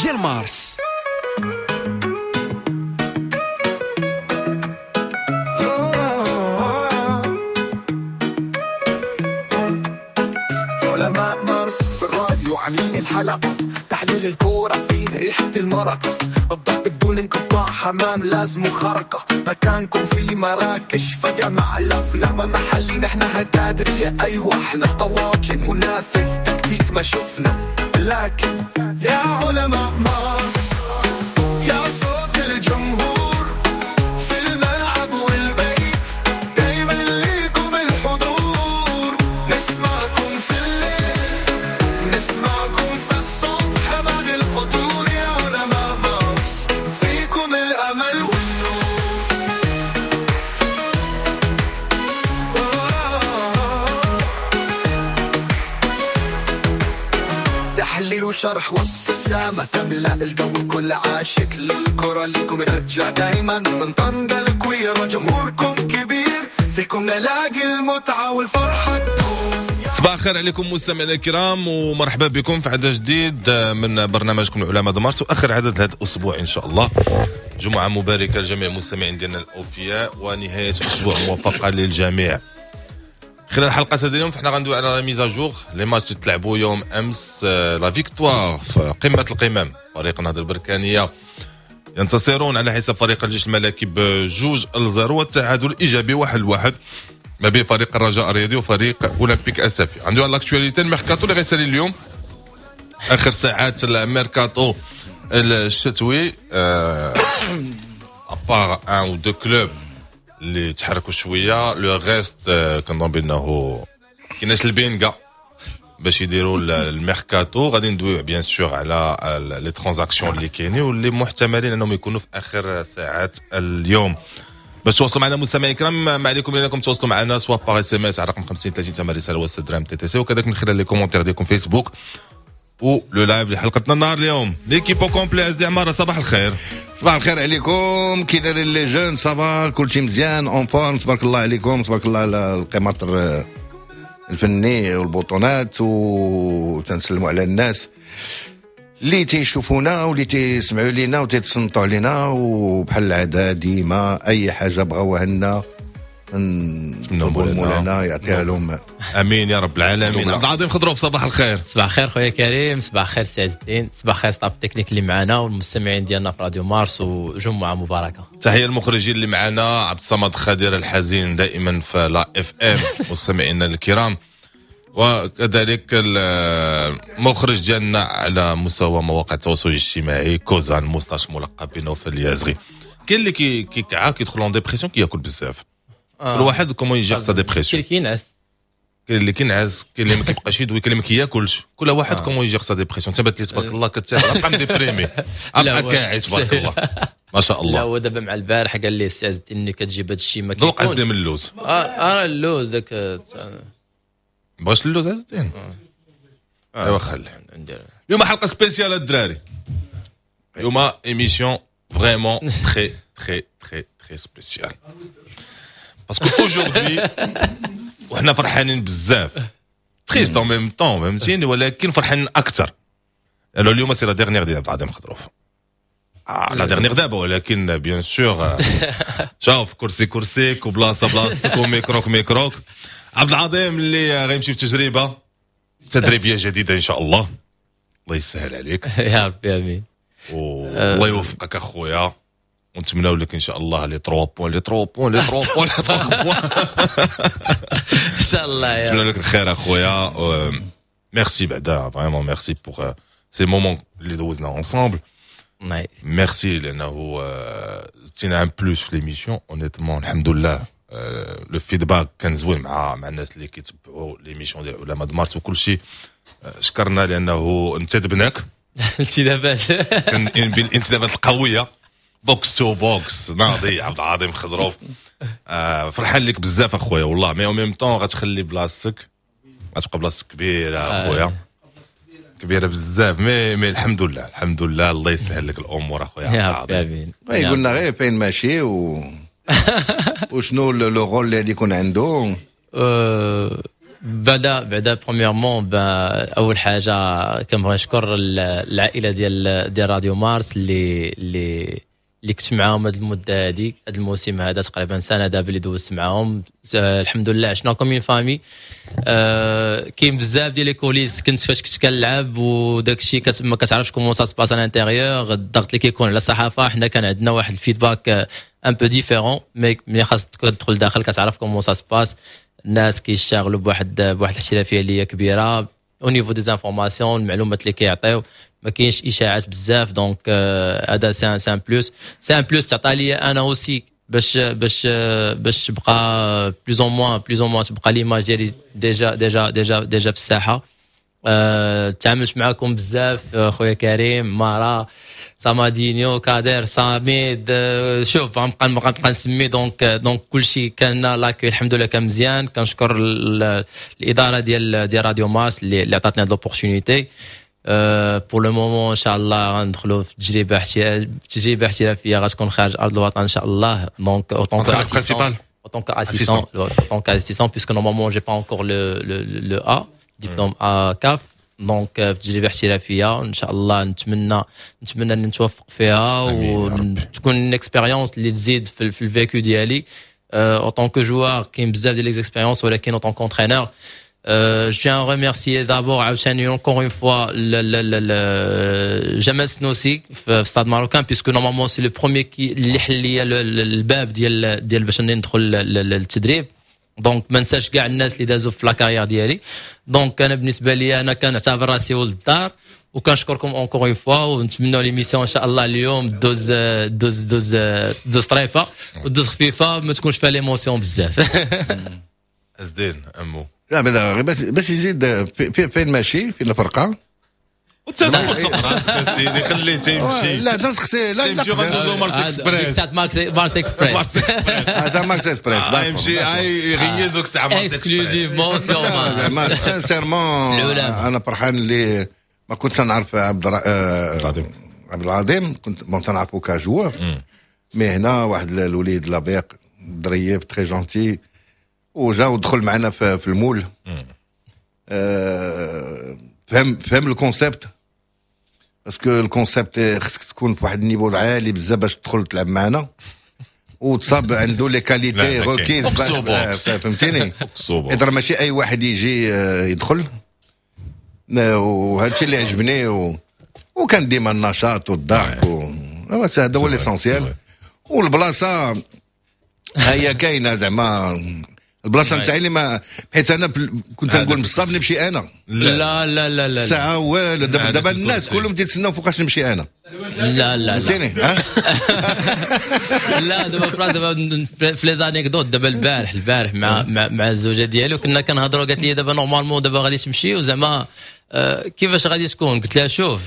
ديال مارس. علماء مارس في الراديو عاملين الحلقة، تحليل الكورة فيه ريحة المرقة، الضحك بدون انقطاع، حمام لازم خرقة، مكانكم في مراكش فجمع الأفلام محلي، نحن هتادرية أيوة احنا طواجن منافذ تكتيك ما شفنا، لكن يا علماء مارس يا صوت الجمهور في الملعب والبيت، دايما ليكم الحضور، نسمعكم في الليل نسمعكم في الصبح بعد الفطور، يا علماء مارس فيكم الأمل والنور. تحليل وشرح وابتسامة تملأ الجو، كل عاشق للكرة ليكم رجع دايما، من طنجة الكويرة جمهوركم كبير، فيكم نلاقي المتعة والفرحة تدوم. صباح الخير عليكم مستمعينا الكرام، ومرحبا بكم في عدد جديد من برنامجكم العلماء مارس، واخر عدد هذا الاسبوع ان شاء الله. جمعه مباركة لجميع المستمعين ديالنا الاوفياء، ونهاية اسبوع موفقة للجميع. خلال حلقة هذا اليوم فحنا غندوي على la mise à jour les matchs اللي تلعبوا يوم امس. la victoire في قمة القمم، فريق النهضة البركانيه ينتصرون على حساب فريق الجيش الملكي ب2-0، والتعادل الايجابي 1-1 ما بين فريق الرجاء الرياضي وفريق اولمبيك اسفي. عنده على l'actualité الميركاتو اللي غيسالي اليوم، اخر ساعات الميركاتو الشتوي، à part un ou deux clubs اللي تحركوا شوية، le reste كنظن بانه كايناش البينغا باش يديروا الميركاتو. غادي ندويو bien sûr على les transactions اللي كاينين واللي محتملين انهم يكونوا في اخر ساعات اليوم. باش تواصلوا معنا مستمعي الكرام، ما عليكم الا انكم تواصلوا معنا soit par SMS على رقم 50 30 ثمن رسالة و 6 درهم TTC، وكذلك من خلال les commentaires ديالكم فيسبوك و le live لحلقتنا النهار اليوم. l'équipe au complet، ازدي عمارة صباح الخير. صباح الخير عليكم، كي دايرين les jeunes؟ ça va كلشي مزيان en forme؟ تبارك الله عليكم، تبارك الله على القماطر الفني والبطونات، وتنسلموا على الناس اللي تيشوفونا واللي تيسمعوا لينا وتيتصنتوا علينا، وبحال العادة ديما اي حاجة بغاوها لنا نطلبوا مولانا يعطيها لهم. امين يا رب العالمين. عبد العظيم خضروف صباح الخير. صباح الخير خويا كريم، صباح الخير سي عز الدين، صباح الخير staff technique اللي معنا والمستمعين ديالنا في راديو مارس، وجمعه مباركة. تحية المخرجين اللي معنا، عبد الصمد خدير الحزين دائما في la FM مستمعينا الكرام، وكذلك المخرج ديالنا على مستوى مواقع التواصل الاجتماعي كوزان moustache ملقب بنوفل اليازغي. كاين اللي كيكعا كيدخل en dépression كياكل بزاف. كل واحد comment il gère sa dépression. كاين اللي كينعس، كاين اللي كينعس، كاين اللي ما كيبقاش يدوي، كاين اللي ما كياكلش. كل واحد comment il gère sa dépression. تبات لي تبارك الله كتابع بقى déprimé، ابقى كاعي تبارك الله ما شاء الله. لا هو دابا مع البارح قال لي السي عز الدين كتجيب هذا الشيء ما كيكونش. ذوق عز من اللوز. اللوز داك بغاش اللوز عز الدين. ايوا خلي. اليوم حلقة spéciale الدراري، اليوم émission vraiment très très très très spéciale، parce que aujourd'hui وحنا فرحانين بزاف، triste en même temps فهمتيني، ولكن فرحانين اكثر لانه اليوم c'est la dernière ديال عبد العظيم خضروف. la dernière دابا، ولكن bien sûr شوف كرسي كرسيك وبلاصه بلاصتك وميكروك ميكروك. عبد العظيم اللي غيمشي في تجربه تدريبية جديدة ان شاء الله، الله يسهل عليك يا ربي امين، والله يوفقك اخويا، ونتمناو لك ان شاء الله les 3 points les 3 points les 3 points les 3 points ان شاء الله. نتمنى لك الخير اخويا. ميرسي بعدا vraiment merci pour ces moments اللي دوزنا ensemble. ميرسي لانه زدتينا un plus في l'émission honnêtement الحمد لله. le feedback كان زوين مع الناس اللي كيتبعوا l'émission ديال علماء مارس وكل شيء. شكرنا لانه انتدبناك انتدابات بالانتدابات القوية، box to box ناضي عبد العظيم خضروف. فرحان لك بزاف اخويا والله، mais en même temps غتخلي بلاصتك، غتبقى بلاصتك كبيرة اخويا، كبيرة بزاف، mais الحمد لله الحمد لله، الله يسهل لك الامور اخويا. يا ربي امين. قلنا غير فين ماشي وشنو le rôle اللي غادي يكون عنده. بعدا premièrement، اول حاجة كنبغي نشكر العائلة ديال راديو مارس اللي كنت معاهم هذه المدة هذه، هذا الموسم هذا، تقريبا سنة دابا اللي دوزت معاهم. الحمد لله عشنا comme une famille. كاين بزاف ديال les coulisses كنت فاش كنت كنلعب وداك الشيء ما كتعرفش comment ça se passe à l'intérieur، الضغط اللي كيكون على الصحافه. حنا كان عندنا واحد ال feedback un peu différent، mais ملي خاصك تدخل داخل كتعرف comment ça se passe. الناس كيشتغلوا بواحد الاحترافية اللي هي كبيرة au niveau des informations، المعلومات اللي كيعطيو، ما كاينش اشاعات بزاف. donc هذا c'est un plus، c'est un plus تعطى لي انا aussi باش تبقى plus ou moins تبقى l'image ديالي déjà في الساحه. تعاملت معكم بزاف، خويا كريم، مارا، سامادينيو، كادر، ساميد، شوف غنبقى نسمي. donc كلشي كان l'accueil الحمد لله كان مزيان. كنشكر الادارة ديال راديو مارس اللي عطاتني هاد l'opportunité. pour le moment ان شاء الله غندخلوا في تجربه احترافية غتكون خارج ارض الوطن ان شاء الله، donc autant principal. En tant qu'assistant, en tant qu'assistant, puisque normalement j'ai pas encore le A, diplôme A CAF. donc في تجربه احترافية ان شاء الله، نتمنى ان نتوفق فيها وتكون expérience اللي تزيد في ال vécu ديالي en tant que joueur. كاين بزاف ديال les expériences، ولكن en tant qu'entraîneur، je tiens à remercier d'abord عاوتاني encore une fois جمال سنوسي في Stade Marocain، puisque normalement c'est le premier qui اللي حل لي الباب ديال باش ندخل للتدريب. donc ما نساش كاع الناس اللي دازوا في la carrière ديالي. donc انا بالنسبة لي انا كنعتبر راسي ولد الدار، وكنشكركم encore une fois، ونتمنوا l'émission ان شاء الله اليوم دوز دوز دوز دوز طريفه ودوز خفيفه، ما تكونش فيها l'émotion بزاف. ازدين امو. لا، بعدا غير باش يزيد فين ماشي، فين الفرقه؟ وانت دخل سوق راسك سيدي، خليه تيمشي. لا تنسقسي، لا. تيمشي، غندوزو مارس اكسبريس. مارس اكسبريس. هذا مارس اكسبريس. يمشي يغيزوك ساعة مارس. exclusivement. زعما sincèrement انا فرحان اللي ما كنتش نعرف العظيم. عبد العظيم كنت bon تنعرفو ك joueur، mais هنا واحد الوليد لبيق، ظريف، très gentil، وجا ودخل معنا في ال moule، فهم ال concept، parce que ال concept خصك تكون في واحد ال niveau عالي بزاف باش تدخل تلعب معنا، وتصاب عنده les qualités requises، فهمتيني؟ اذا ماشي اي واحد يجي يدخل، وهذا الشيء اللي عجبني وكان ديما النشاط والضحك هذا هو l'essentiel. والبلاصه هي كاينه، زعما البلاصة نتاعي اللي ما حيت انا كنت نقول بصاب نمشي انا. لا لا لا لا. ساعة والو. دابا الناس كلهم تيتسناو فوقاش نمشي انا. لا لا. فهمتيني؟ لا، دابا فراس، دابا في les anecdotes، دابا البارح مع الزوجة ديالو كنا كنهضروا، قالت لي دابا normalement دابا غادي تمشي، وزعما كيفاش غادي تكون؟ قلت لها شوف،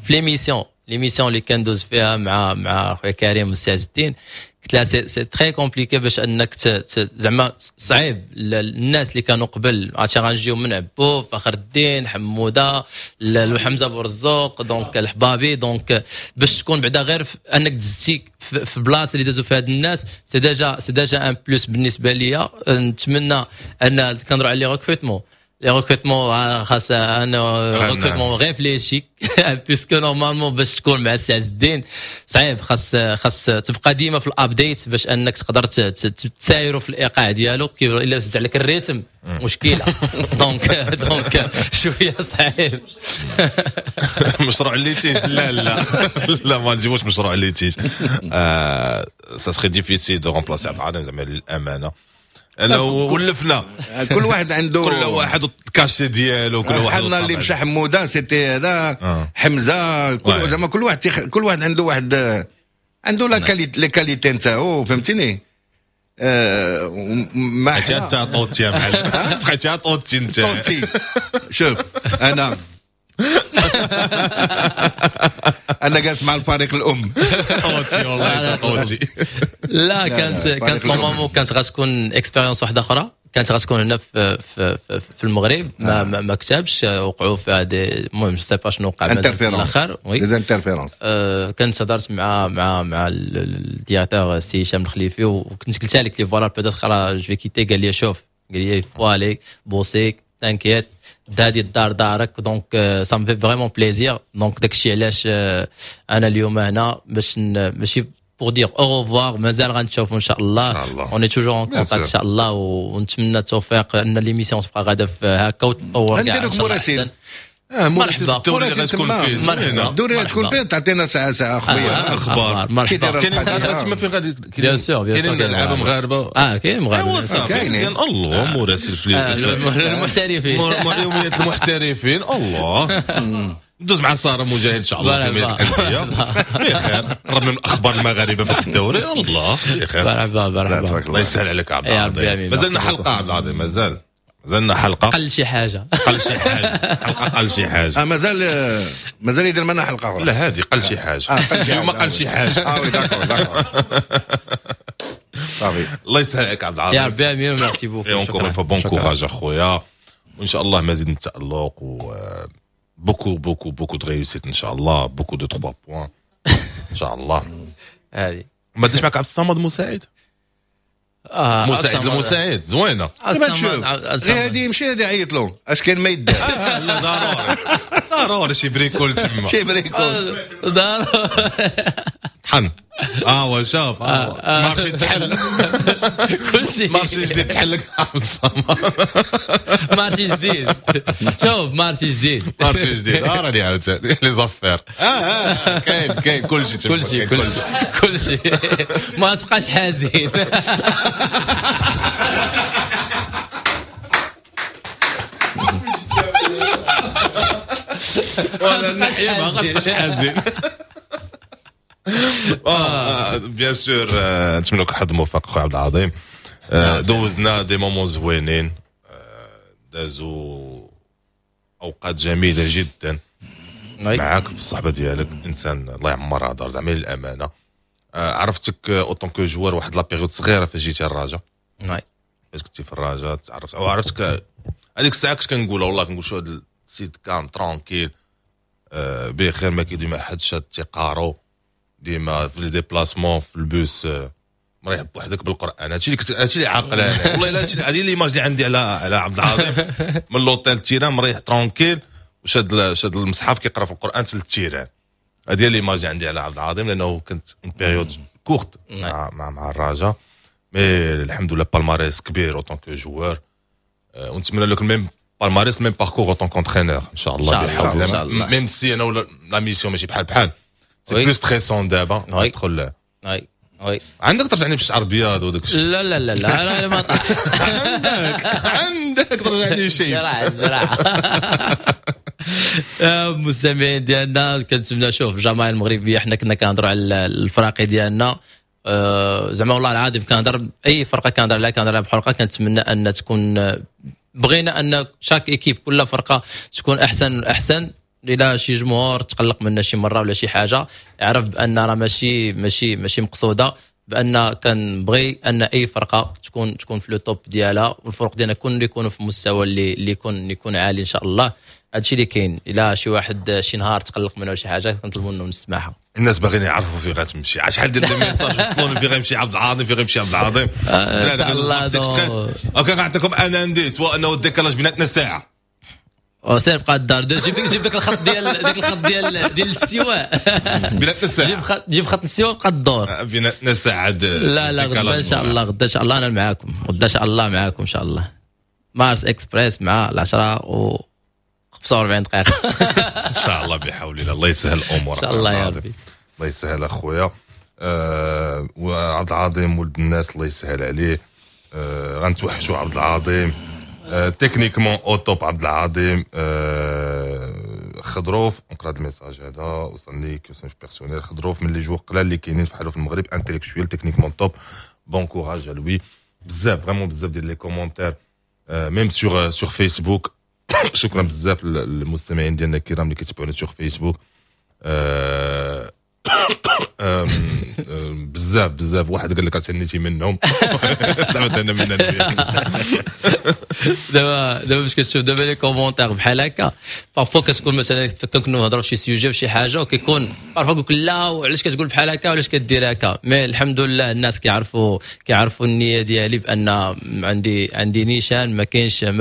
في l'émission اللي كندوز فيها مع خويا كريم والسي عز الدين، قلت لها c'est très compliqué باش انك زعما صعيب. الناس اللي كانوا قبل، عرفتي، غنجيو من عبو، فخر الدين، حموده، حمزة بورزوق، donc الحبابي، donc باش تكون بعدا غير انك دزتي في بلاصة اللي دازوا فيها هاد الناس، c'est déjà un plus بالنسبة ليا. نتمنى ان كنهضروا على les recrutements، خاص انا recrutement réfléchi، puisque normalement باش تكون مع السي عز الدين صعيب، خاص تبقى ديما في ال update باش انك تقدر تسايرو في الايقاع ديالو. كيف الا زاد عليك ال rythme مشكله، donc شوية صعيب. مشروع litige، لا لا لا، ما نجيبوش مشروع litige. ça serait difficile de remplacer عبد العظيم، زعما للامانة انا ولفنا. كل واحد عنده كل واحد ال cachet ديالو، كل واحد. حنا اللي مشى حموده c'était هذا حمزه، كل زعما كل واحد عنده واحد عنده la qualité، les qualités نتاعو، فهمتيني؟ ما بقيتي انت طوتي يا معلم، بقيتي طوتي انت. طوتي، شوف، انا جالس مع الفريق الام. طوتي، والله طوتي. لا، كانت normalement كانت غتكون expérience واحدة اخرى، كانت غتكون هنا في المغرب، ما كتبش، وقعوا في هذه، المهم je sais pas شنو وقع. في الاخر oui des interférences. كنت هضرت مع ال directeur سي هشام الخليفي، وكنت قلت لك لي voilà peut-être je vais quitter. قال لي شوف قال لي faut aller bosser، t'inquiète، هادي الدار دارك. donc ça me fait vraiment plaisir. donc داكشي علاش انا اليوم هنا باش ماشي pour dire au revoir، مازال غنتشوفوا ان شاء الله. ان شاء الله. on est toujours en contact ان شاء الله، ونتمنى التوفيق ان l'émission تبقى غاده في هكا وتطور كاع. نديروك مراسل. مرحبا. مراسل تما، الدوري تكون فين تعطينا ساعة ساعة خويا. اخبار. مرحبا. كاين تما فين غادي؟ bien sûr، bien sûr. كاينين لعابه مغاربه؟ اه، كاين مغاربه. ايوا صافي، مزيان. الله، مراسل في المحترفين. يوميات المحترفين. الله، ندوز مع ساره مجاهد ان شاء الله في الانديه. بخير، قربنا من اخبار المغاربة في الدوري. الله، بخير. مرحبا مرحبا. الله يسهل عليك عبد العظيم. مازلنا حلقة عبد العظيم، مازال مازلنا حلقه. قل شي حاجه. قل شي حاجه، حلقة قل شي حاجه. آه، مازال مازال يدير معنا حلقة اخرى. لا، هذه قل شي حاجه. آه، اليوم قل شي حاجه. اه oui، d'accord d'accord، صافي. الله يسهل عليك عبد العظيم. يا ربي امين، merci beaucoup. encore une fois bon courage اخويا، وان شاء الله مزيد من التالق و beaucoup beaucoup beaucoup de réussite ان شاء الله، beaucoup de 3 points ان شاء الله. هذه ما ديش معك عبد الصمد مساعد؟ آه. مساعد المساعد زوينه. دابا تشوف غير هادي يمشي، هادي يعيط له، اش كاين ما يدار. آه لا، ضروري ضروري شي bricole تما. شي bricole. ضروري. طحن. هو شوف، marché تحل. كلشي. marché جديد تحل عبد الصمد. marché جديد، شوف، marché جديد. marché جديد. راني عاوتاني les affaires. كاين كاين كلشي تما. كلشي كلشي كلشي، ما تبقاش حزين. ولا الناحية ما غاتبقاش حزين. bien sûr، نتمنى لك حظ موفق خويا عبد العظيم. دوزنا des moments زوينين، دازو اوقات جميلة جدا معاك بالصحبه ديالك. انسان الله يعمرها دار، زعما للامانه. عرفتك autant que joueur واحد la période صغيرة فاش جيتي الرجاء، فاش كنتي في الرجاء تعرفت او عرفتك. هذيك الساعة كنت كنقول والله، كنقول شو هذا السيد calme، tranquille، بخير، ما كيدوي مع حد، شاد تيقارو، ديما في les déplacements في البوس مريح بوحدك بالقران. هادشي اللي كنت، هادشي اللي عاقل انا والله الا هذه l'image اللي عندي على عبد العظيم، من l'hôtel terrain مريح tranquille وشاد شاد المصحف كيقرا في القران تل ال terrain. هذه هي l'image اللي عندي على عبد العظيم، لانه كنت une période courte مع الرجاء، mais الحمد لله palmarès كبير autant que joueur، ونتمنى لك ال même palmarès، même parcours autant qu'entraîneur ان شاء الله. بحول الله. même si انا la mission ماشي بحال بحال، c'est plus stressant دابا تدخل. oui. عندك ترجعني بالشعر ابيض وداك الشيء. لا لا لا لا لا، ما عندك عندك ترجعني شيء. الزراعة الزراعه. المستمعين ديالنا، كنتمنى، شوف، الجماهير المغربيه، حنا كنا كنهضروا على الفراقي ديالنا، زعما والله العظيم كنهضر، اي فرقه كنهضر عليها كنهضر عليها بحرقه. كنتمنى ان تكون، بغينا ان chaque équipe، كل فرقه تكون احسن احسن. الى شي جمهور تقلق منا شي مرة ولا شي حاجه، يعرف بان راه ماشي مقصوده، بان كنبغي ان اي فرقه تكون في le top ديالها، والفرق ديالنا كل يكونوا في مستوى اللي يكون عالي ان شاء الله. هادشي اللي كاين. الا شي واحد شي نهار تقلق منه شي حاجه، كنطلبوا منه السماحه. الناس باغيين يعرفوا في غتمشي. شحال ديال les messages وصلوني: في غيمشي عبد العظيم؟ في غيمشي عبد العظيم؟ OK، غنعطيكم un indice، هو انه ال décalage بيناتنا ساعه. سير بقى الدار، جيب داك الخط ديال داك الخط ديال الاستواء. بيناتنا ساعه. جيب خط الاستواء، بقى الدور. بيناتنا ساعه. لا لا، غدا ان شاء الله، غدا ان شاء الله انا معاكم، غدا ان شاء الله معاكم ان شاء الله، مارس اكسبريس مع 10 و 45 دقيقه. ان شاء الله بحول الله. الله يسهل الامور. ان شاء الله يا ربي. الله يسهل اخويا. وعبد العظيم ولد الناس، الله يسهل عليه. غنتوحشوا عبد العظيم. Techniquement au top عبد العظيم. خضروف، نقرا هذا ال message هذا وصلني question personnelle. خضروف من les joueurs قلال اللي كاينين في حالو في المغرب، intellectuel، techniquement top، bon courage à lui. بزاف، vraiment بزاف ديال les commentaires même sur Facebook. شكرا بزاف للمستمعين ديالنا الكرام اللي كيتبعونا sur Facebook. بزاف بزاف. واحد قال لك تهنيتي منهم، زعما تهنى منا. دابا باش كتشوف دابا les commentaires بحال هكا، parfois كتكون مثلا كنكونوا نهضروا في شي sujet وشي حاجه، وكيكون parfois يقول لك لا وعلاش كتقول بحال هكا وعلاش كدير هكا. mais الحمد لله الناس كيعرفوا النية ديالي بان عندي نيشان، ما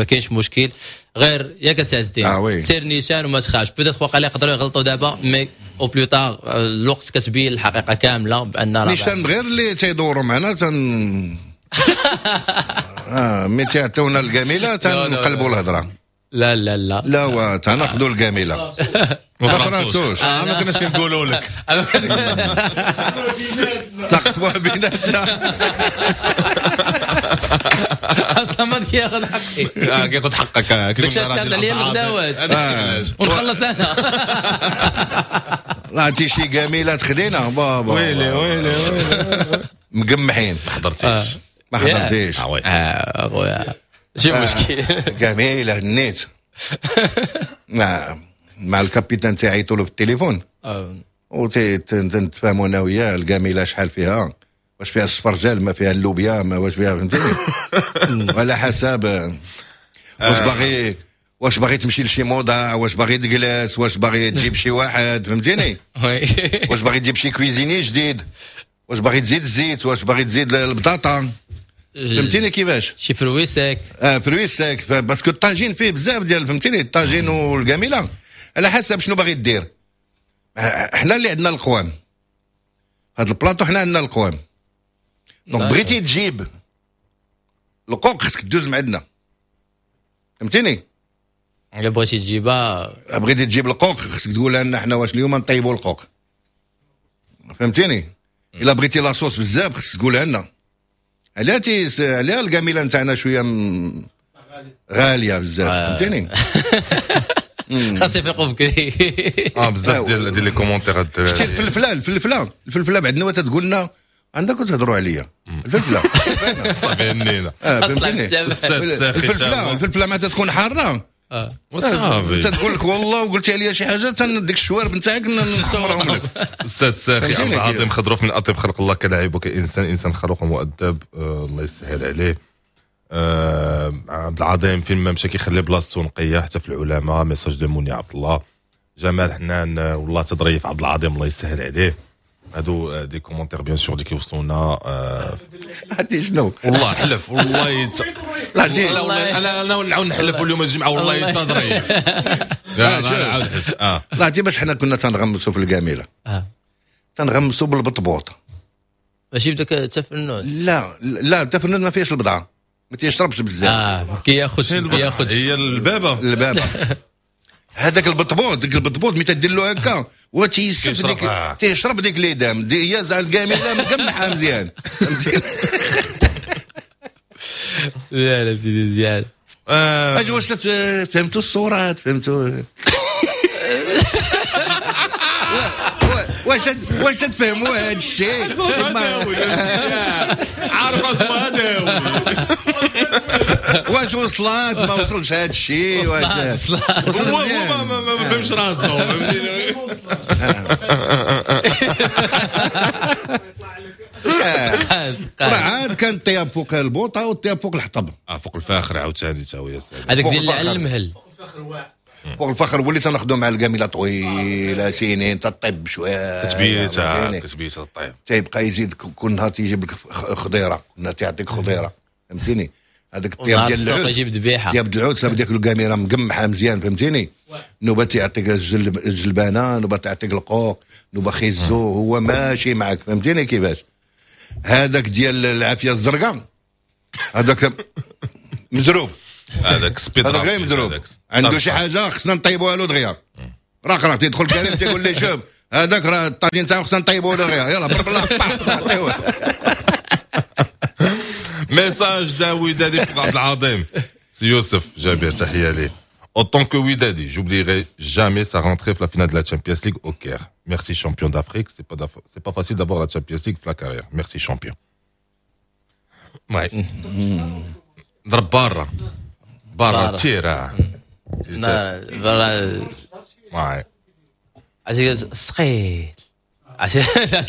كاينش مشكل. غير ياك سي عز الدين؟ آه oui. سير نيشان وما تخافش. peut-être واقع يقدروا يغلطوا دابا، mais au plus tard الوقت كتبين الحقيقة كاملة بان راه نيشان غير اللي تيدوروا معنا تن ملي تيعطيونا الكاميله تنقلبوا الهضره. لا لا لا. لا، هو تناخذوا الكاميله. ما فراسوش. ما كناش كنقولوا لك. تقسموها بيناتنا. اصلا ما كياخذ حقي. كياخذ حقك. داكشي علاش كان عليا الغداوات ونخلص انا. لا عرفتي شي كاميله تخدينا بابا. ويلي ويلي ويلي. مقمحين. ما حضرتيش. ما حضرتيش. آه oui. اه خويا، شي مشكل. كاميله النيت مع ال capitaine تاعي له في التليفون وتنتفاهموا انا وياه الكاميله شحال فيها، واش فيها السفرجال، ما فيها اللوبيا، ما واش فيها، فهمتيني؟ وعلى حسب واش باغي تمشي لشي موضع، واش باغي تجلس، واش باغي تجيب شي واحد، فهمتيني؟ واش باغي تجيب شي cuisinier جديد، واش باغي تزيد الزيت، واش باغي تزيد البطاطا، فهمتيني كيفاش؟ شي fruits secs. اه، fruits secs، parce que الطاجين فيه بزاف ديال، فهمتيني؟ الطاجين والكاميله على حسب شنو باغي دير. حنا اللي عندنا القوام هذا البلاطو، حنا عندنا القوام، donc بغيتي تجيب القوق خصك دوز من عندنا، فهمتيني؟ الا بغيتي تجيبها. بغيتي تجيب القوق خصك تقول لنا حنا واش اليوم نطيبوا القوق، فهمتيني؟ الا بغيتي la sauce بزاف خصك تقولها لنا. عليها عليها الكاميله نتاعنا شوية غالية بزاف، فهمتيني؟ خاص يفيقوا بكري. اه، بزاف ديال les commentaires. شتي الفلفله بعد نواه تقول لنا عندك تهضروا عليا الفلفله. صافي هنينا. اه، فهمتيني؟ الفلفله ما تكون حارة وصافي. تقول لك والله وقلتي عليا شي حاجه، ديك الشوارب نتاعك نحمرهم لك. استاذ ساخي، عبد العظيم خضروف من اطيب خلق الله كلاعب وكانسان، انسان خلوق ومؤدب، الله يسهل عليه. عبد العظيم فين ما مشى كيخلي بلاصتو نقية حتى في العلماء. message de موني عبد الله. جمال حنان، والله تظريف عبد العظيم، الله يسهل عليه. هادو des commentaires bien sûr اللي كيوصلونا. عرفتي شنو؟ والله حلف، والله لا. والله انا نعاود نحلف اليوم الجمعه، والله تظريف. لا لا، عاود حلفت اه. لا، عرفتي باش حنا كنا تنغمسوا في الكاميله؟ تنغمسوا بالبطبوط. ماشي بداك التفنوت؟ لا لا، التفنوت ما فيهش البضعه، ما تيشربش بزاف. اه، كياخذ كياخذ. هي البابا. البابا هذاك البطبوط، ديك البطبوط ملي تدير له هكا هو تيسف ديك، تيشرب ديك les dames دي هي زعما الكاميله مقمحه مزيان. مزيان سيدي، مزيان. اجي، واش فهمتوا الصورات؟ فهمتوا؟ واش تفهموا هذا الشيء؟ عارف راسو هذا. واش وصلات ما وصلش هذا الشيء؟ واش هو هو ما فهمش راسو، فهمتيني؟ راه عاد كان الطياب فوق البوطه والطياب فوق الحطب. اه، فوق الفاخر عاوتاني تا هو يا سلام. هذاك ديال على المهل. فوق الفخر وليت ناخذو مع الكاميله طويلة سنين تطيب شويه. كتبيتها كتبيتها الطيب. تيبقى يزيد كل نهار تيجيب لك خضيره، كل نهار تيعطيك خضيره، فهمتيني؟ هذاك الطياب ديال العود. يجيب ذبيحه. طياب العود صافي، ديك الكاميرا مقمحه مزيان، فهمتيني؟ نوبه تيعطيك الجلبانه، نوبه تعطيك القوق، نوبه خيزو، هو ماشي معك، فهمتيني كيفاش؟ هذاك ديال العافية الزرقاء هذاك مزروب. هذاك speed. هذاك غير مزروب، عنده شي حاجة خصنا نطيبوها له دغيا. راه تيدخل كريم تيقول لي شوف هذاك راه الطاجين تاعو خصنا نطيبوه له دغيا، يلا برب الله نعطيوه. message d'un ودادي عبد العظيم، سي يوسف جابر، تحية ليه. En tant que Widadi, j'oublierai jamais sa rentrée في la finale de la Champions League au Caire. Merci champion d'Afrique, c'est pas facile d'avoir la Champions League في la carrière. Merci champion. Ouais. ضرب برا برا تيرا. برا. Ouais. عرفتي ثقيل.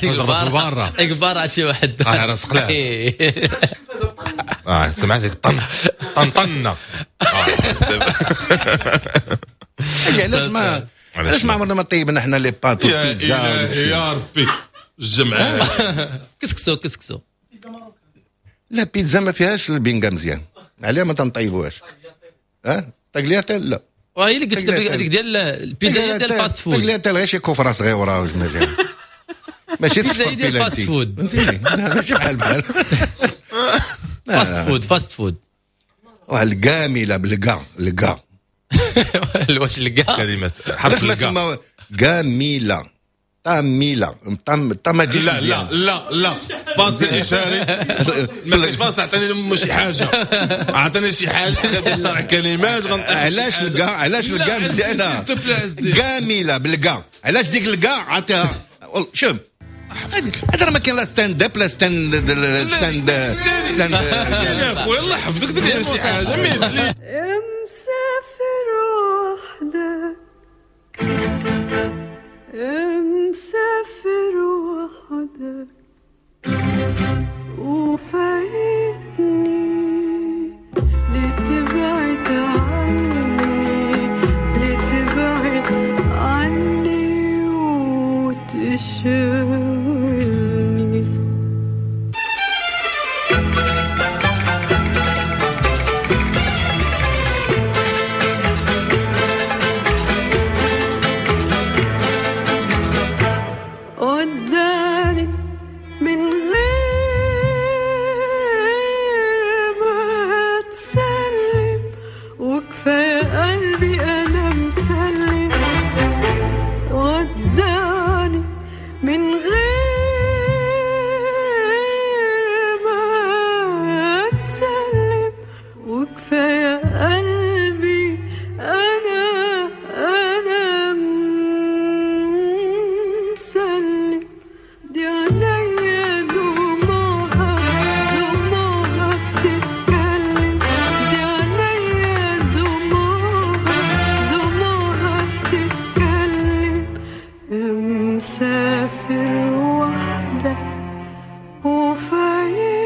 البارة البارة شي واحد راه سقلات. سمعتك طن طن طن. علاش ما عمرنا ما طيبنا حنا les pâtes والبيتزا؟ يا ربي الجمعة كسكسو لا بيتزا ما فيهاش البينغا مزيان، عليها ما تنطيبوهاش. ها تاكلياتيل لا، وهي اللي قلت لك هذيك ديال البيتزا ديال ال fast food. tagliatelle غير شي كفره صغيرة واش ماشي البيتزا ديال ال fast food، فهمتيني؟ ماشي بحال بحال fast food fast food. واحد الكاملة بالكا الكا واش الكا كلمة حرف الكا كاملة طاميله طام. لا لا لا لا فاصل اشاري ما كاينش فاصل. عطيني شي حاجة، عطيني شي حاجة كنصارع كلمات. علاش الكا؟ علاش الكا مزيانه كاملة بالكا؟ علاش ديك الكا عطيها؟ شوف هذا راه ما كاين لا stand up لا stand stand stand. يا خويا الله يحفظك دير شي حاجة. مسافر وحدك، مسافر وحدك وفايتني، لتبعد عني لتبعد عني وتشغلني. قدامي من غير ما تسلم، وكفاية قلبي أنا مسلم. وداني من غير ما تسلم، وكفاية قلبي أنا مسلم. دي عينيا دموعها دموعها بتتكلم، دي عينيا دموعها دموعها بتتكلم. مسافر وحدك وفايتني.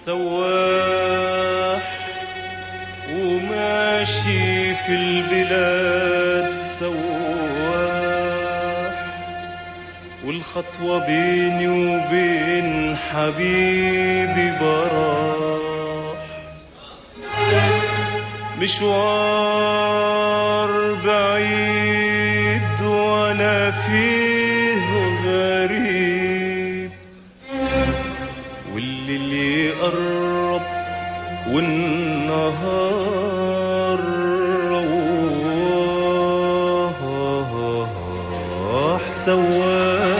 سواح وماشي في البلاد سواح، والخطوة بيني وبين حبيبي براح. مشوار بعيد وانا فيه غريب، والليل يقرب والنهار رواح سواح،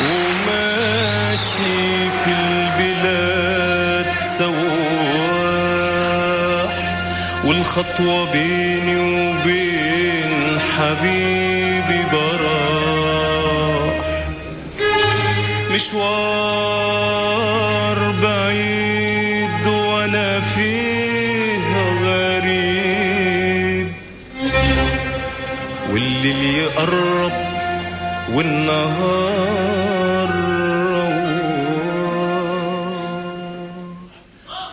وماشي في البلاد سواح، والخطوة بيني وبين حبيبي براح. مشوار بعيد وانا فيه غريب، والليل يقرب والنهار رواح،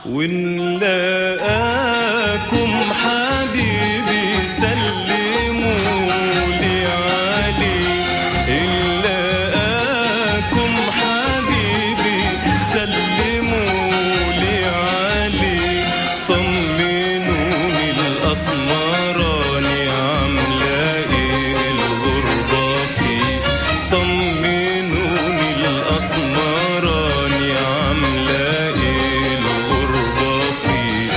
ونلاقاكم حبيبي سلموا لي عليه، نلاقاكم حبيبي سلموا لي عليه، طمنوني الأسمراني عاملة إيه الغربة فيه، طمنوني الأسمراني عاملة إيه الغربة فيه،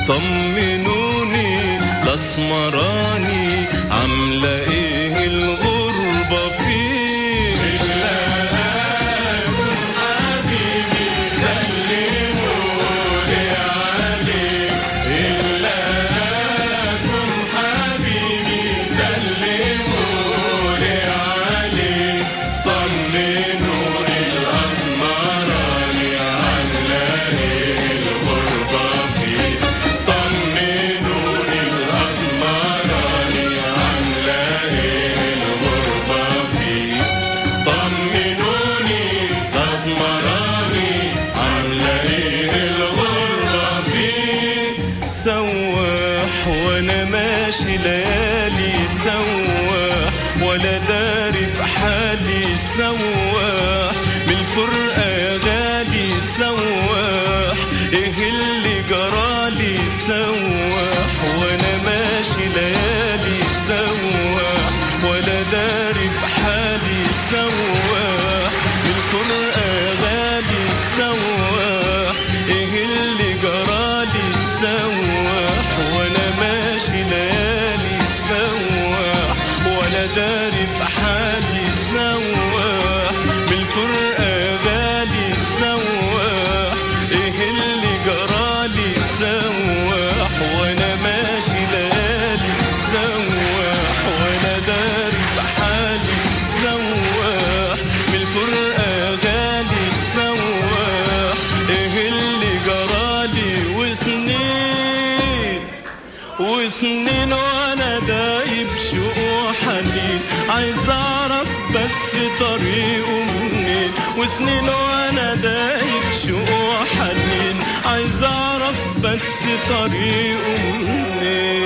طمنوني الأسمراني عاملة إيه الغربة فيه. نلاقاكم حبيبي سلموا لي عليه، نلاقاكم حبيبي سلموا لي عليه، طمنوني الأسمراني عاملة إيه الغربة فيه، طمنوني الأسمراني عاملة إيه الغربة فيه، طمنوني الأسمراني عاملة إيه الغربة فيه. سواح وانا ماشي ليالي سواح، ولا داري بحالي سواح، من الفرقة يا غالي سواح، ايه اللي جرالي سواح، وانا ماشي ليالي سواح، ولا داري بحالي سواح، من الفرقة يا غالي سواح، ايه اللي جرالي سواح، وانا ماشي ليالي سواح، ولا داري بحالي سواح، من الفرقة يا غالي سواح، ايه اللي جرالي سواح، وانا ماشي ليالي سواح، ولا داري بحالي سواح، من الفرقة يا غالي سواح، ايه اللي جرالي. وسنين وسنين وانا دايب شوق وحنين، عايز اعرف بس طريقه منين، وسنين وانا دايب شوق وحنين، عايز اعرف بس طريقه منين.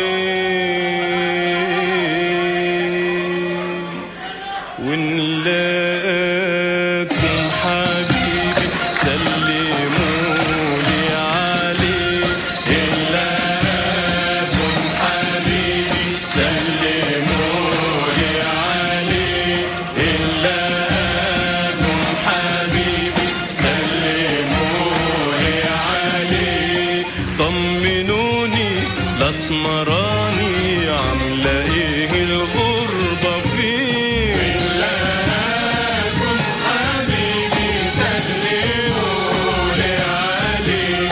ونلاقاكم حبيبي سلموا لي عليه، نلاقاكم حبيبي سلموا لي عليه، نلاقاكم حبيبي سلموا لي عليه، طمنوني الأسمراني عاملة إيه الغربة فيه. نلاقاكم حبيبي سلموا لي عليه،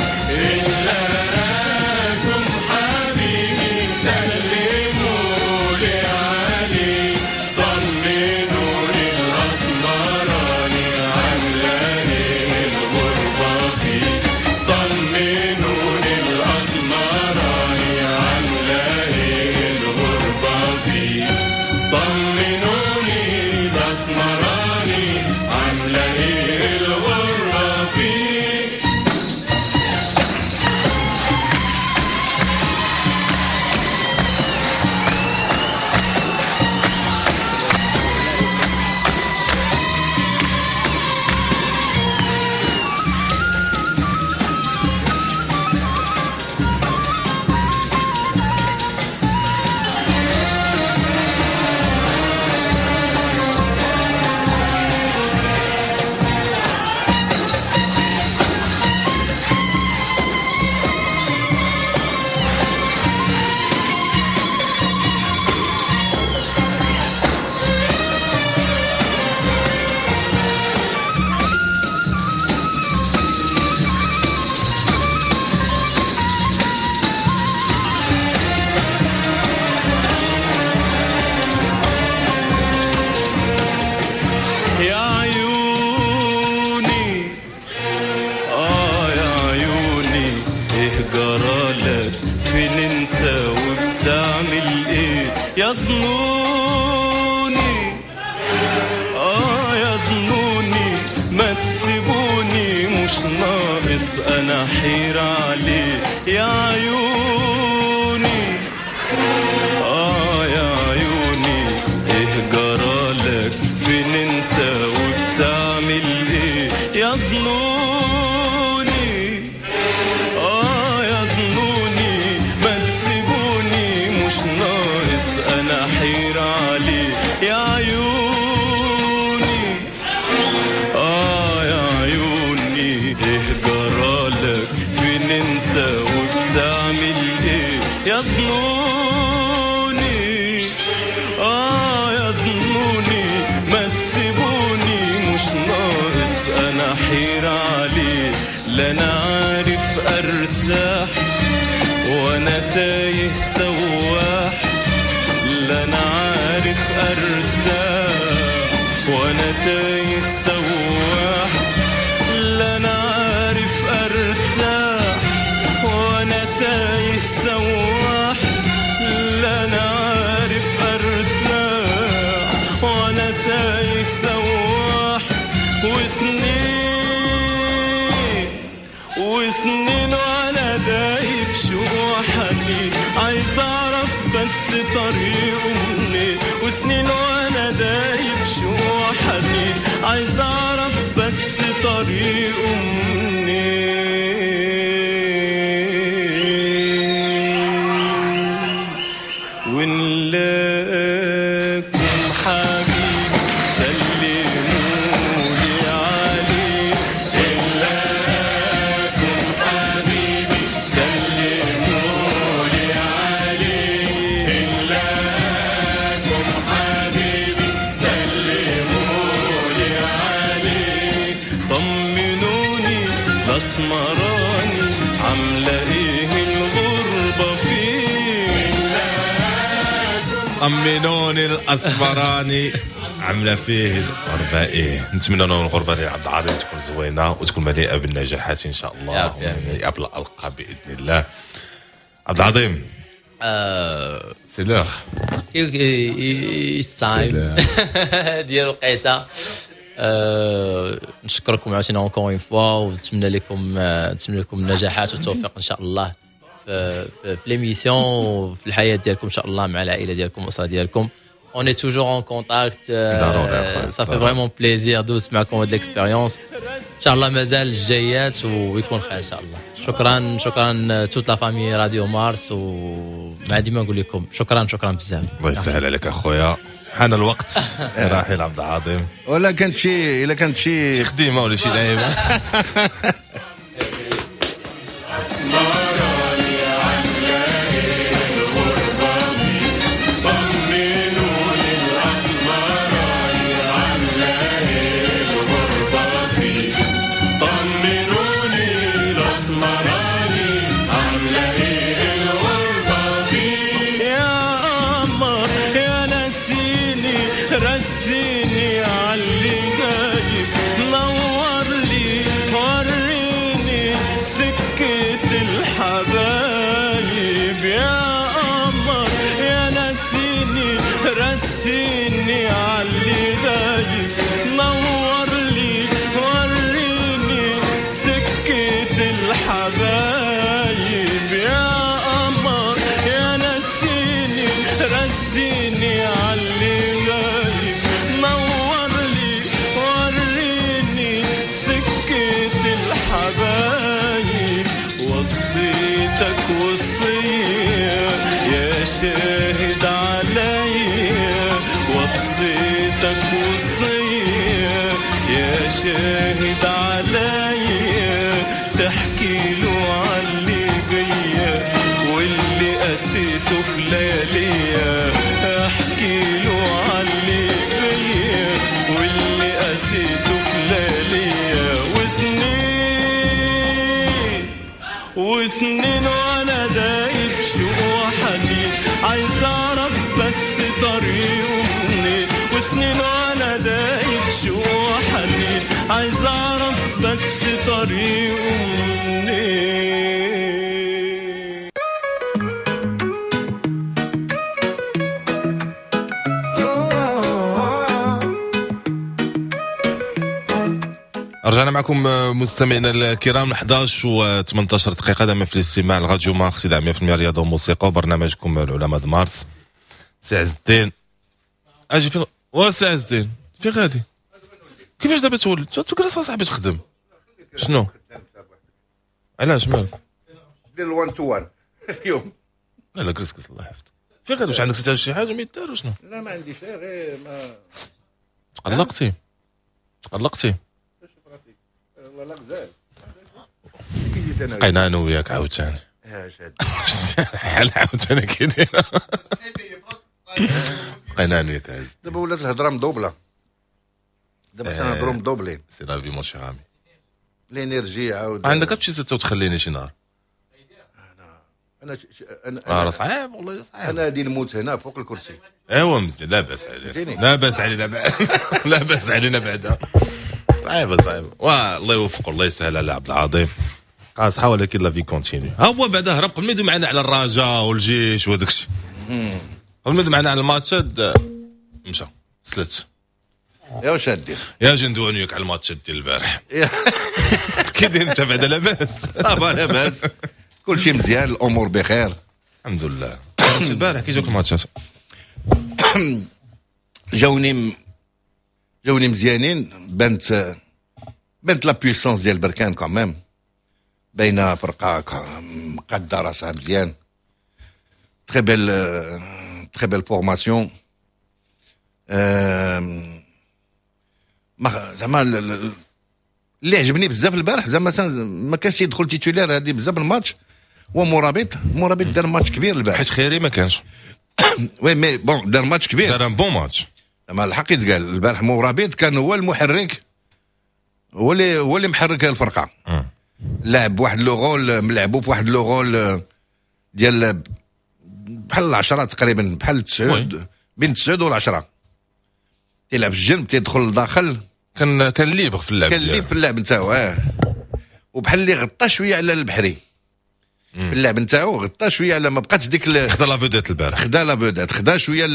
نلاقاكم حبيبي سلموا لي عليه، طمنوني الأسمراني عاملة إيه الغربة فيه، طمنوني الأسمراني عاملة انا حيرة عليه. يا عيوني يا عيوني ايه جرالك، فين انت وبتعمل ايه؟ يا ظنوني يا ظنوني ما تسيبوني، مش ناقص انا حيرة عليه. يا عيوني يا عيوني ايه جرالك، فين انت وبتعمل ايه؟ يا ظنوني يا ظنوني ما تسيبوني، مش ناقص انا حيرة عليه. لا انا عارف ارتاح وانا تايه سواح، لا انا عارف ارتاح وانا تايه سواح، لا انا عارف ارتاح وانا تايه سواح، لا انا عارف ارتاح وانا تايه سواح. وسنين وسنين وانا دايب شوق وحنين، عايز اعرف بس طريقه منين. وسنين وانا دايب شوق وحنين، عايز اعرف بس طريقه منين. ونلاقيكم حبيبي سلمولي عليه، نلاقيكم حبيبي سلمولي عليه، نلاقيكم حبيبي سلمولي عليه. طمنوني الاسمراني عامله ايه الغربة فيه؟ طمنوني الاسمراني عامله فيه الغربة ايه. نتمنى لهم الغربة ديال عبد العظيم تكون زوينة وتكون مليئة بالنجاحات ان شاء الله، يا رب، يا رب. ومليئة بالالقاب باذن الله. عبد العظيم c'est l'heure it's time ديال الوقيته. نشكركم عاوتاني encore une fois، ونتمنى لكم نتمنى لكم النجاحات والتوفيق ان شاء الله في l'émission وفي الحياة ديالكم ان شاء الله مع العائلة ديالكم والاسرة ديالكم. On est toujours en contact. ضروري أخويا، Ça fait ضروري. vraiment plaisir دوز معكم هاد l'expérience. ان شاء الله مازال الجايات ويكون خير ان شاء الله. شكرا شكرا toute la famille راديو مارس، وما ديما نقول لكم شكرا شكرا بزاف. الله يسهل عليك اخويا، حان الوقت راحل عبد العظيم. ولا كانت شي الا كانت شي شي خديمه ولا شي لعيبة؟ طمنوني الأسمراني عاملة إيه الغربة فيه، طمنوني الأسمراني عاملة إيه الغربة فيه. يا قمر يا نسيني رسيني عاللي غايب، نور لي وريني سكة الحبايب. يا قمر يا نسيني رسيني عاللي غايب، نور لي وريني سكة الحبايب. يا قمر يا نسيني رسيني عاللي غايب، نور لي وريني سكة الحبايب. وصيتك وصية يا شاهد عليا، وصيتك وصية يا شاهد عليا، تحكي له عاللي بيا واللي قسيته في لياليا، احكي له عاللي بيا واللي قسيته في لياليا. وسنين وسنين وانا دايب شوق وحنين، عايز اعرف بس طريقه منين. وسنين وانا دايب شوق وحنين، عايز اعرف بس طريقه منين. رجعنا معكم مستمعينا الكرام، 11 و 18 دقيقة، دائما في الاستماع لراديو مارس 100% رياضة وموسيقى وبرنامجكم العلماء مارس. سي عز الدين، اجي فين؟ وا سي عز الدين، فين غادي؟ كيفاش دابا تولد تجلس اصاحبي تخدم؟ شنو؟ علاش مالك؟ دير 1 to 1 اليوم. لا لا، جلس جلس، الله يحفظك. فين غادي؟ واش عندك حتى شي حاجة ما يدار شنو؟ لا، ما عندي شيء، غير ما تقلقتي تقلقتي. والله لا غزال. بقينا انا وياك عاوتاني حال عاوتاني كي داير، بقينا انا وياك عز. دابا ولات الهضرة مدوبله، دابا خصنا نهضروا مدوبلين. c'est la vie mon cher ami. l'énergie عاود. عندك تمشي وتخليني شي نهار. انا راه صعيب، والله صعيب. انا غادي نموت هنا فوق الكرسي. ايوا مزيان، لا باس علينا، لا باس علينا، لا باس علينا بعدا. صعيبة صعيبه، والله يوفق، الله يسهل على عبد العظيم، قاصحة ولكن la vie continue. ها هو بعدا هرب قبل ما يدوي معنا على الرجاء والجيش وهذاك الشيء، قبل ما يدوي معنا على الماتشات مشى سلت. يا واش دير؟ يا جي ندوي وياك على الماتشات ديال البارح. كي داير انت بعدا؟ لاباس؟ ça va، لاباس، كل شيء مزيان، الامور بخير. الحمد لله. البارح كي جاوك الماتشات؟ جاوني مزيانين، بانت la puissance ديال بركان quand même، باينة فرقه مقاده راسها مزيان، très belle très belle formation. ما زعما اللي عجبني بزاف البارح، زعما ما كانش يدخل titulaire هذه بزاف الماتش، هو مرابط. مرابط دار ماتش كبير البارح. حيت خيري ما كانش. oui mais bon، دار ماتش كبير. دار un bon match. زعما الحق يتقال، البارح مرابط كان هو المحرك، هو اللي محرك الفرقه. لعب واحد le rôle، لعبوا بواحد le rôle ديال بحال العشرة تقريبا، بحال التسعود، بين التسعود والعشرة، تيلعب في الجنب، تيدخل لداخل. كان libre في اللعب. كان libre في اللعب نتاعو، وبحال اللي غطى شوية على البحري في اللعب نتاعو، غطى شوية على، ما بقاتش ديك خدا la vedette البارح. خدا la vedette، خدا شويه،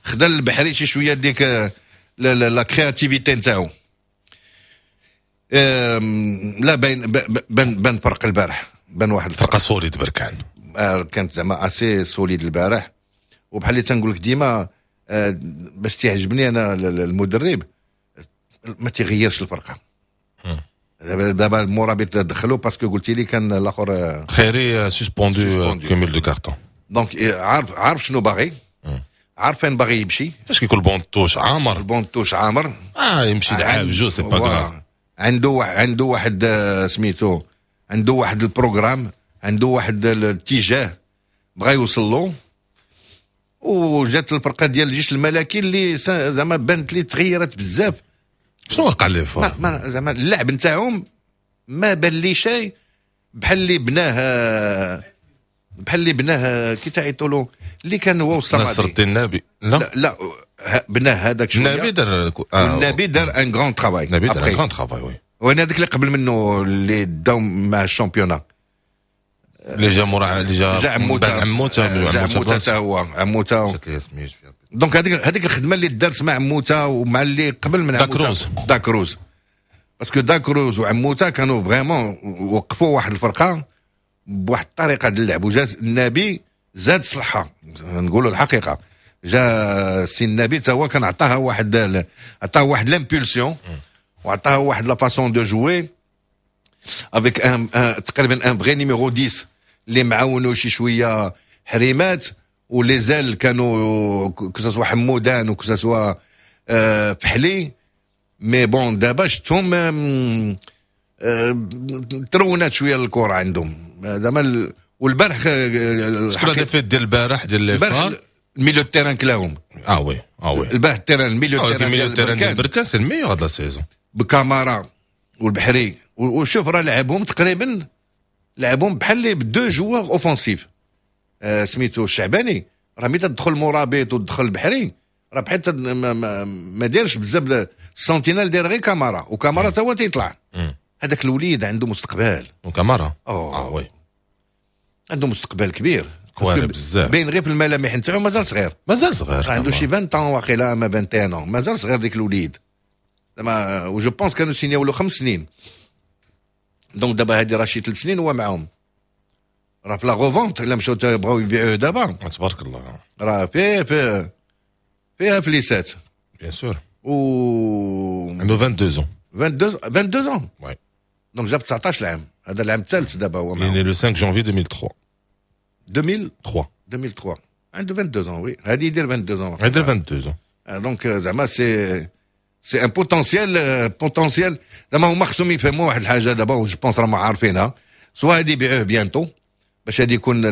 خدا البحري شي شوية ديك la créativité نتاعو. لا بين بان فرق البارح، بان واحد الفرقة solide بركان. كانت زعما assez solide البارح، وبحال اللي تنقول لك ديما، باش تعجبني انا المدرب ما تيغيرش الفرقه. دابا المرابط دخلوا parce que قلتي لي كان الاخر خيري suspendu، cumul de cartons. donc عارف شنو باغي، عارف فين باغي يمشي. فاش كيكون ال banc de touche عامر. ال banc de touche عامر. يمشي لعاب جو، c'est pas grave. عنده واحد سميتو، عنده واحد ال programme، عنده واحد الاتجاه بغى يوصل له، وجات الفرقة ديال الجيش الملكي اللي زعما بانت لي تغيرت بزاف. شنو وقع ليه؟ ما زعما اللعب نتاعهم ما بان لي شيء بحال اللي بناه كي تعيطوا له، اللي كان هو والصمدي، نصر الدين النبي. لا لا، لا، بناه هذاك شويه. النبي دار النبي دار un grand travail. النبي دار un grand travail، oui. وانا هذاك اللي قبل منه، اللي داو مع ال championnat. اللي جا مورا، اللي جا جا عموته. عموته. جا عموته حتى هو، عموته. donc هذيك الخدمة اللي دارت مع عموته ومع اللي قبل من عموته، داكروز. داكروز، parce que داكروز وعموته كانوا vraiment وقفوا واحد الفرقة بواحد الطريقة ديال اللعب، وجا النبي زاد صلحها. نقولوا الحقيقه، جا سي النبي تا هو كان عطاه واحد l'impulsion وعطاها واحد la façon de jouer avec un تقريبا un vrai numéro 10 اللي معاونو شي شوية حريمات، و les ailes كانوا que ce soit حمودان و que ce soit فحلي. mais bon، دابا شفتهم ترونات شوية الكره عندهم زعما، والبارح شكون la défaite ديال البارح ديال البارح؟ ال milieu terrain كلاهم. اه oui اه oui. البارح ال terrain، ال milieu terrain، ال milieu terrain ديال بركان c'est le meilleur de la saison. بكامارا والبحري، وشوف راه لعبهم تقريبا، لعبهم بحال les deux joueurs offensifs. سميتو الشعباني راه ملي تدخل مرابط وتدخل البحري راه بحال ما دايرش بزاف ال sentinelle، داير غير كامارا، وكامارا تا هو تيطلع. هذاك الوليد عنده مستقبل. وكامارا اه oui. عنده مستقبل كبير. كواري بزاف. باين غير في الملامح نتاعو مازال صغير. مازال صغير. عنده شي 20 واقيلا ما 21، مازال صغير ديك الوليد. زعما و je pense كانوا سينياو له 5 سنين، donc دابا هادي راه شي 3 سنين هو معاهم. راه في la revente، الا مشاو بغاو يبيعوه دابا تبارك الله. راه فيه فيه فيها فليسات. bien sûr. و عنده 22 ans. 22، 22 ans. oui. donc جاب 19 عام، هذا العام الثالث دابا هو معاهم. né le 5 جانفي 2003. 2003. 3. 2003، عنده 22 ans، oui، هذه يدير 22 ans. يدير 22 ans. donc زعما c'est un potentiel، potentiel. زعما هما خصهم يفهموا واحد الحاجة دابا، و je pense راهم عارفينها، soit هادي يبيعوه bientôt باش هادي يكون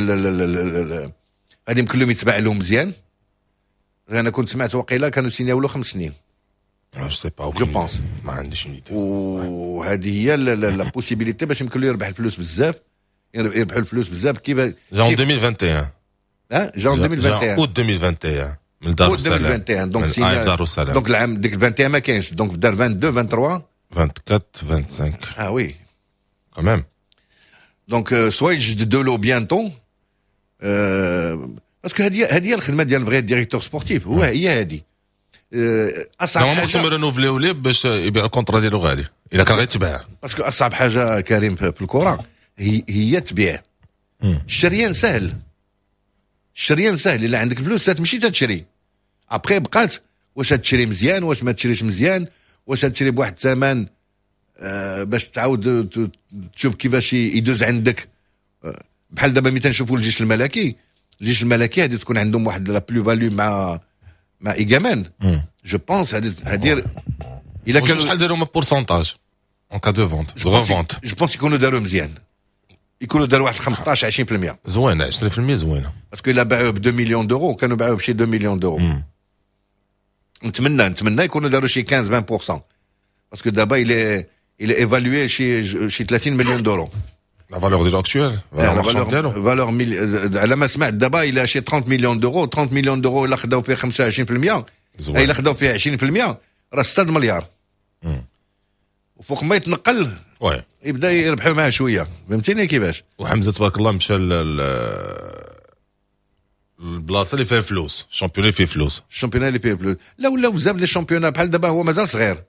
غادي يمكن لهم يتباع لهم مزيان. انا كنت سمعت وقيله كانوا سينياو له 5 سنين. je sais pas. je pense. ما عنديش idée. وهذه هي la possibilité باش يمكن له يربح الفلوس بزاف، يربحوا الفلوس بزاف. كيف جا 2021. ها جا 2021. اوت 2021 من دار السلام. 2021، donc سينيا دار السلام. donc العام ديك 21 ما كاينش، donc دار 22، 23. 24، 25. اه oui. quand même. donc soit يجددوا له bientôt، parce que هذه هي الخدمة ديال vrai directeur sportif، هو هي هذه اصعب حاجه. خصهم يرونوفليو ليه باش يبيع ال contrat ديالو غالي الا كان غيتباع. parce que اصعب حاجة كريم في الكره هي تبيع. الشريان سهل، الشريان سهل، الا عندك الفلوس تمشي تشري. après بقات واش تشري مزيان، واش ما تشريش مزيان، واش تشري بواحد الثمن باش تعاود تشوف كيفاش يدوز عندك. بحال دابا ملي تنشوفوا الجيش الملكي، الجيش الملكي هذه تكون عندهم واحد la plus-value مع ايغامان، je pense هذه الا كانوا شحال داروا pourcentage en cas de vente، revente؟ je pense يكونوا داروا مزيان، يكونوا داروا واحد 15 20%. زوينه، 20% زوينه. parce que الا باعوه ب 2 millions d'euros، كانوا باعوه بشي 2 millions d'euros، نتمنى يكونوا داروا شي 15 20%، parce que دابا il est évalué شي 30 millions d'euros. la valeur ديالو actuelle؟ valeur valeur على ما سمعت دابا الى شي 30 millions d'euros. 30 millions d'euros، الا خداو فيه 25%، الا خداو فيه 20%، راه 6 مليار. وفوق ما يتنقل يبدا يربحوا معاه شويه، فهمتيني كيفاش؟ وحمزة تبارك الله مشى البلاصة اللي فيها فلوس، ال championnat اللي فيه فلوس. ال championnat اللي فيه فلوس. لا، ولاو بزاف les championnats. بحال دابا هو مازال صغير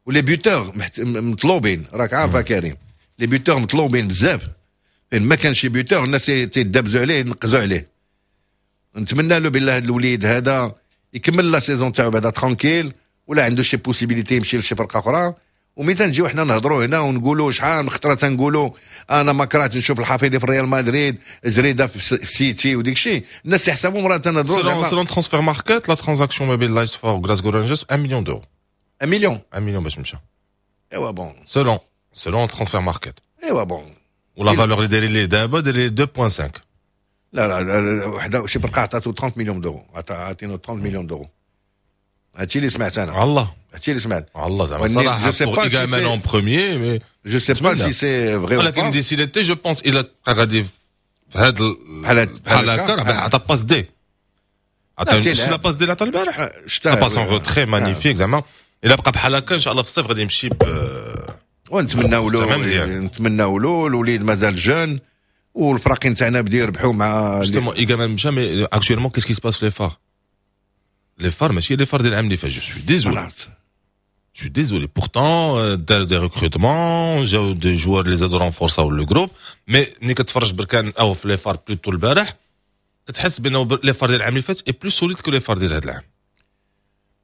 و les buteurs مطلوبين، راك عارفه كريم، les buteurs مطلوبين بزاف. فين ما كان شي buteur الناس تيدابزوا عليه، ينقزوا عليه. نتمنى له بالله هذا الوليد هذا يكمل la saison تاعو بعدا tranquille، ولا عنده شي possibilité يمشي لشي فرقه اخرى. وملي تنجيو حنا نهضروا هنا ونقولوا، شحال من خطره تنقولوا انا ما كرهت نشوف الحفيظي في ريال مدريد، زريده في سيتي وديك الشيء، الناس يحسبوا راه تنهضروا. selon Transfermarkt، la transaction ما بين لايس فار وغلاسكو رينجرز 1 million d'euros. 1 مليون؟ 1 مليون باش مشى. ايوا bon. selon Transfermarkt. ايوا bon. و la valeur اللي دايرين ليه دابا دايرين 2.5. لا لا، وحده شي فرقه عطاتو 30 millions d'euros، عطينو 30 millions d'euros، هادشي اللي سمعت انا. الله. هادشي اللي سمعت. الله، زعما صراحة je sais pas si en premier mais je sais pas si c'est vrai. ولكن d'ici l'été je pense الى غادي في هذا بحال بحال هكا، عطى passe D، عطى la passe D اللي عطى البارح، la passe en retrait magnifique. زعما الا بقى بحال هكا، ان شاء الله في الصيف غادي يمشي ب ونتمناو له، نتمناو له، الوليد مازال jeune والفراقين تاعنا بداو يربحوا مع justement ايغامان مشى، mais actuellement qu'est-ce qui se passe في les FAR؟ les FAR ماشي les FAR ديال العام اللي فات، je suis désolé، Je suis désolé. Pourtant, دار des recrutements، جاو des joueurs اللي زادوا رونفورساو le groupe، mais ملي كتفرج بركان او في les FAR plutôt البارح، كتحس بانه les FAR ديال العام اللي فات est plus solide que les FAR ديال هذا العام.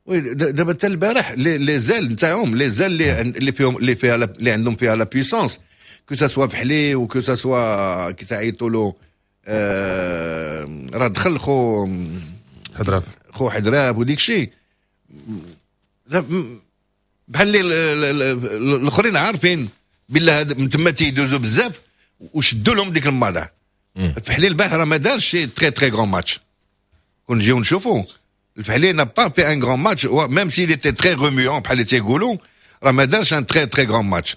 oui، دابا حتى البارح les ailes نتاعهم، les ailes اللي فيهم اللي فيها اللي عندهم فيها la puissance، que ce soit فحلي و que ce soit كي تعيطوا له راه دخل خو حدراف. خو حدراف وديك الشيء، بحال اللي الاخرين عارفين بالله من تما تيدوزو بزاف وشدوا لهم ديك الماضه. الفحلي البارح راه ما دارش شي très très grand match. كون نجيو نشوفوا الفحلي n'a pas fait un grand match، même s'il était très remuant بحال اللي تيقولوا، راه ما دارش un très très grand match.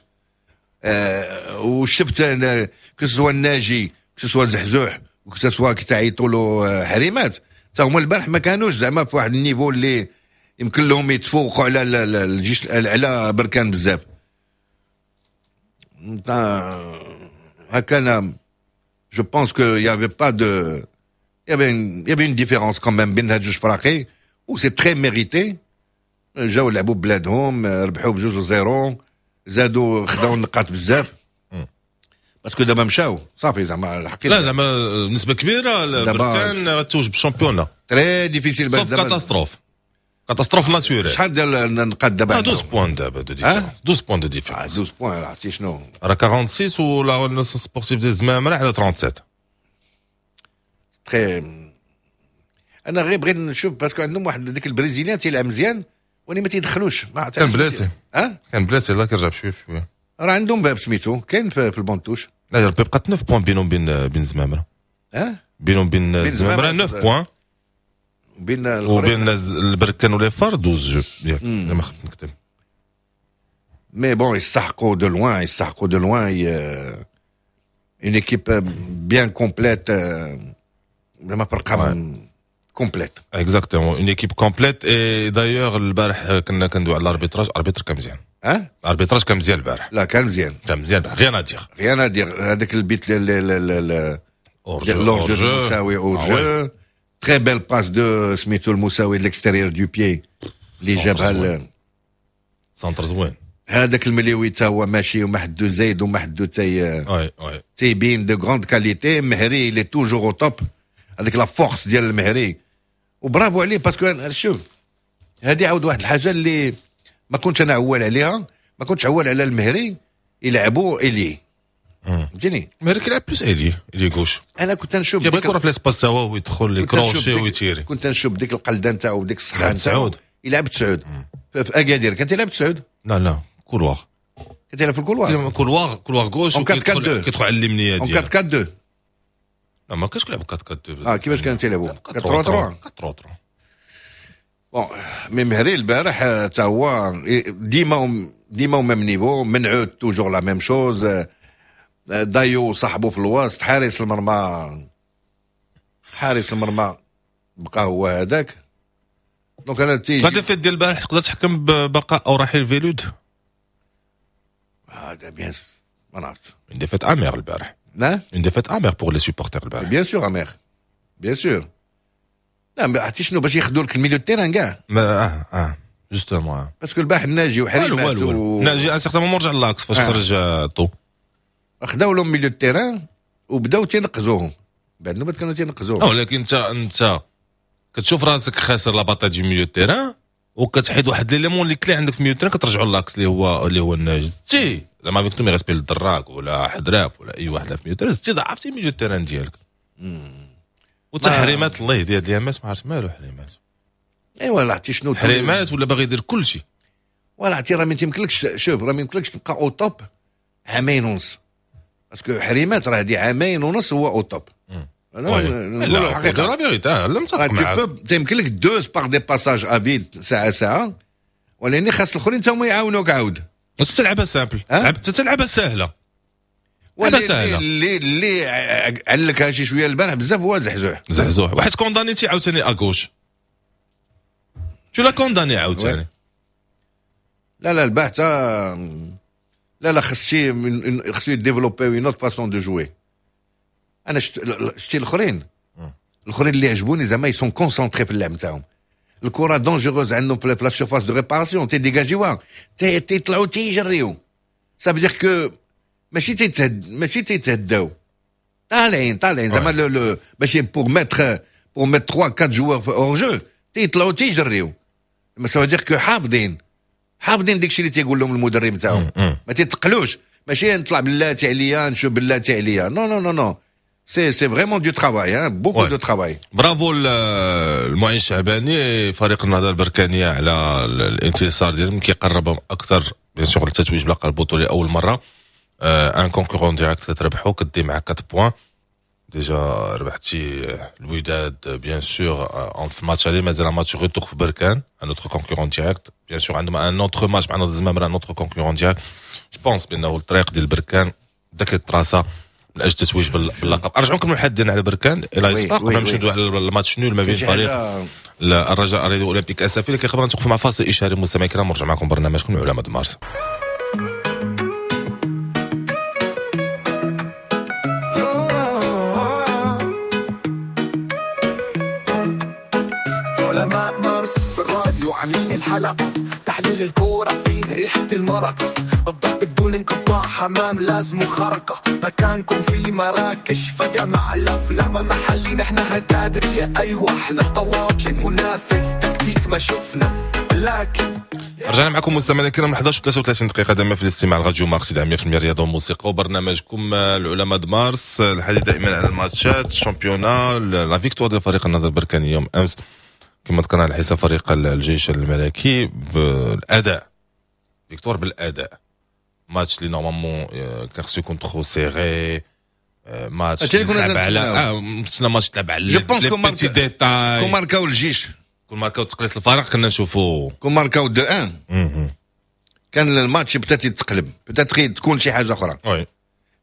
وشفت que ce soit الناجي، que ce soit زحزوح، que ce soit كي تعيطوا له حريمات، حتى هما البارح ما كانوش زعما في واحد ال niveau اللي يمكن لهم يتفوقوا على الجيش، على بركان بزاف. هكا انا je pense que y avait pas de y avait une différence quand même بين هاد جوج فراقي و c'est très mérité. جاو لعبوا ببلادهم، ربحوا ب2-0، زادوا خداو النقاط بزاف parce que دابا مشاو صافي زعما الحقيقة. لا زعما نسبه كبيرة بركان توج بال championnat très difficile، sauf catastrophe naturelle. شحال ديال النقاط دابا؟ 12 points دابا de différence، 12 points de différence. 12 points عرفتي شنو؟ راه 46 ولا sportive ديال الزمامره على 37. très انا غير بغيت نشوف parce que عندهم واحد ديك ال brésilien تيلعب مزيان ولكن ما تيدخلوش. كان blessé، كان blessé، لا كيرجع بشوية بشوية. راه عندهم باب سميتو كاين في ال banc de touche. لا بقى 9 points بينهم بين زمامرة. بينهم بين زمامرة 9 points، بين وبين البركان و les FAR 12 jeux ياك ما خفت نكتب. mais bon يستحقوا de loin، يستحقوا de loin، une équipe bien complète، زعما فرقه complète. exactement، une équipe complète. et d'ailleurs البارح كنا كندوي على l'arbitrage، arbitre كان مزيان. اه l'arbitrage كان مزيان البارح. لا كان مزيان، كان مزيان، rien à dire، rien à dire. هذاك البيت l'hors-jeu المساوي، hors-jeu، très belle passe de سميتو المساوي l'extérieur du pied اللي جابها. centre زوين. هذاك المليوي تا هو ماشي وما حدو زايد وما حدو تي تيبين de grandes qualités. مهري il est toujours au top، هذيك la force ديال المهري وبرافو عليه. parce que شوف هذه عاود واحد الحاجة اللي ما كنتش انا عوال عليها، ما كنتش عوال على المهري يلعبوا ailier، فهمتيني؟ المهري كيلعب plus ailier، ailier gauche. انا كنت نشوف كيبغي الكره في l'espace هو ويدخل les crochets ويتيري. كنت نشوف ديك القلده نتاعو وديك الصحة نتاعو يلعب تسعود في اكادير. كان تيلعب تسعود؟ لا لا couloir، كان تيلعب في ال couloir، couloir gauche كيدخل على اليمنية ديالو. 4 4 2. لا ما كانش كيلعب 4 4 2. كيفاش كانوا تيلعبوا؟ 4 3 3 4 3. bon mais مهري البارح تا هو ديما ديما même niveau، منعود toujours la même chose. دايو صاحبو في الوسط، حارس المرمى، حارس المرمى بقى هو هذاك. donc انا تيجي la défaite ديال البارح تقدر تحكم ببقاء او رحيل فيلود؟ هذا bien ما نعرفت. une défaite amère البارح. لا une défaite amère pour les supporters البارح. bien sûr amère، bien sûr. لا عرفتي شنو باش ياخذوا لك ال milieu terrain كاع. justement parce que البارح الناجي وحريمات ناجي à un certain moment رجع l'axe فاش خرج طو خداو لهم milieu terrain وبداو تينقزوهم بعد نوبات كانوا تينقزوهم. ولكن انت كتشوف راسك خاسر la bataille du milieu terrain وكتحيد واحد l'élément اللي clé عندك في milieu terrain كترجعوا l'axe اللي هو الناجي. زدتي زعما avec tous mes respects للدراك ولا حدراف ولا اي واحد في milieu terrain، زدتي ضعفتي milieu terrain ديالك. وتحريمات الله يهدي هاد اليامات ما عرفت مالو حريمات. ايوا لا عرفتي شنو حريمات ولا باغي يدير كل شيء. ولا عرفتي راه ما تيمكنلكش، شوف راه ما يمكنلكش تبقى au top عامين ونص، parce que حريمات راه هادي عامين ونص هو au top. انا نقول الحقيقة la vérité لا متفق معاك. تيمكن لك دوز par des passages à vide ساعة ساعة، ولكن خاص الاخرين تا هما يعاونوك عاود. تلعبها simple، تلعبها سهلة، لعبه سهلة. اللي علقها شي شوية البارح بزاف هو زحزوح. زحزوح واحد condamné تي عاوتاني à gauche، tu l'as condamné عاوتاني. لا لا البارح تا لا لا خص خصو développer une autre façon de jouer. انا شتي الاخرين اللي عجبوني زعما ils sont concentrés في اللعب نتاعهم. الكره dangereuse عندهم في la surface de réparation تيديجاجيوها، تيطلعوا تيجريو. ça veut dire que ماشي تيتهداو، طالعين زعما باش pour mettre 3 4 joueurs hors-jeu تيطلعوا تيجريو. ça veut dire que حافظين داكشي اللي تيقول لهم المدرب نتاعهم، ما تيتقلوش. ماشي نطلع بلاتي عليا نشوف بلاتي عليا، non non non non، c'est vraiment du travail، beaucoup de travail. برافو المعين الشعباني فريق النهضة البركانيه على الانتصار ديالهم، كيقربهم اكثر bien sûr للتتويج بلقب البطولة اول مرة. un concurrent direct كتربحو كدي مع 4 points déjà. ربحتي الوداد bien sûr en في match aller، مازال match retour في بركان un autre concurrent direct bien sûr. عندهم un autre match مع نهضة الزمامره un autre concurrent direct. je pense بانه الطريق ديال بركان بدا كيتراسا من اجل التتويج باللقب. ارجعوا نكملوا الحديث ديالنا على بركان الى يسبق قبل ما نمشيو على ال match nul ما بين فريق الرجاء الرياضي اولمبيك اسفي. لكن قبل نتوقفوا مع فاصل اشهاري مستمعي الكرام ونرجع معكم برنامجكم علماء مارس. علماء مارس في الراديو عاملين الحلقة، تحليل الكورة فيه ريحة المرقة، الضرب بدون انقطاع، حمام لازم خرقة، مكانكم في مراكش فجمع الأفلام محلي، نحن هتادرية، أيوة احنا طواجن منافس تكتيك ما شفنا لكن. رجعنا معكم مستمعينا الكرام، 11 33 دقيقة دائما في الاستماع لراديو مارس 100% رياضة وموسيقى وبرنامجكم العلماء د مارس. الحديث دائما على الماتشات، ال championnat، la victoire ديال فريق النهضة البركاني يوم امس كما ذكرنا على حساب فريق الجيش الملكي بالاداء، victoire بالاداء، ماتش اللي normalement كان خصو يكون trop serré، ماتش تلعب على نتسنى ماتش تلعب على les petits détails. كون ماركاو الجيش، كون ماركاو تقليص الفرق كنا نشوفوا، كون ماركاو 2-1 كان الماتش peut-être يتقلب، peut-être تكون شي حاجة اخرى. oui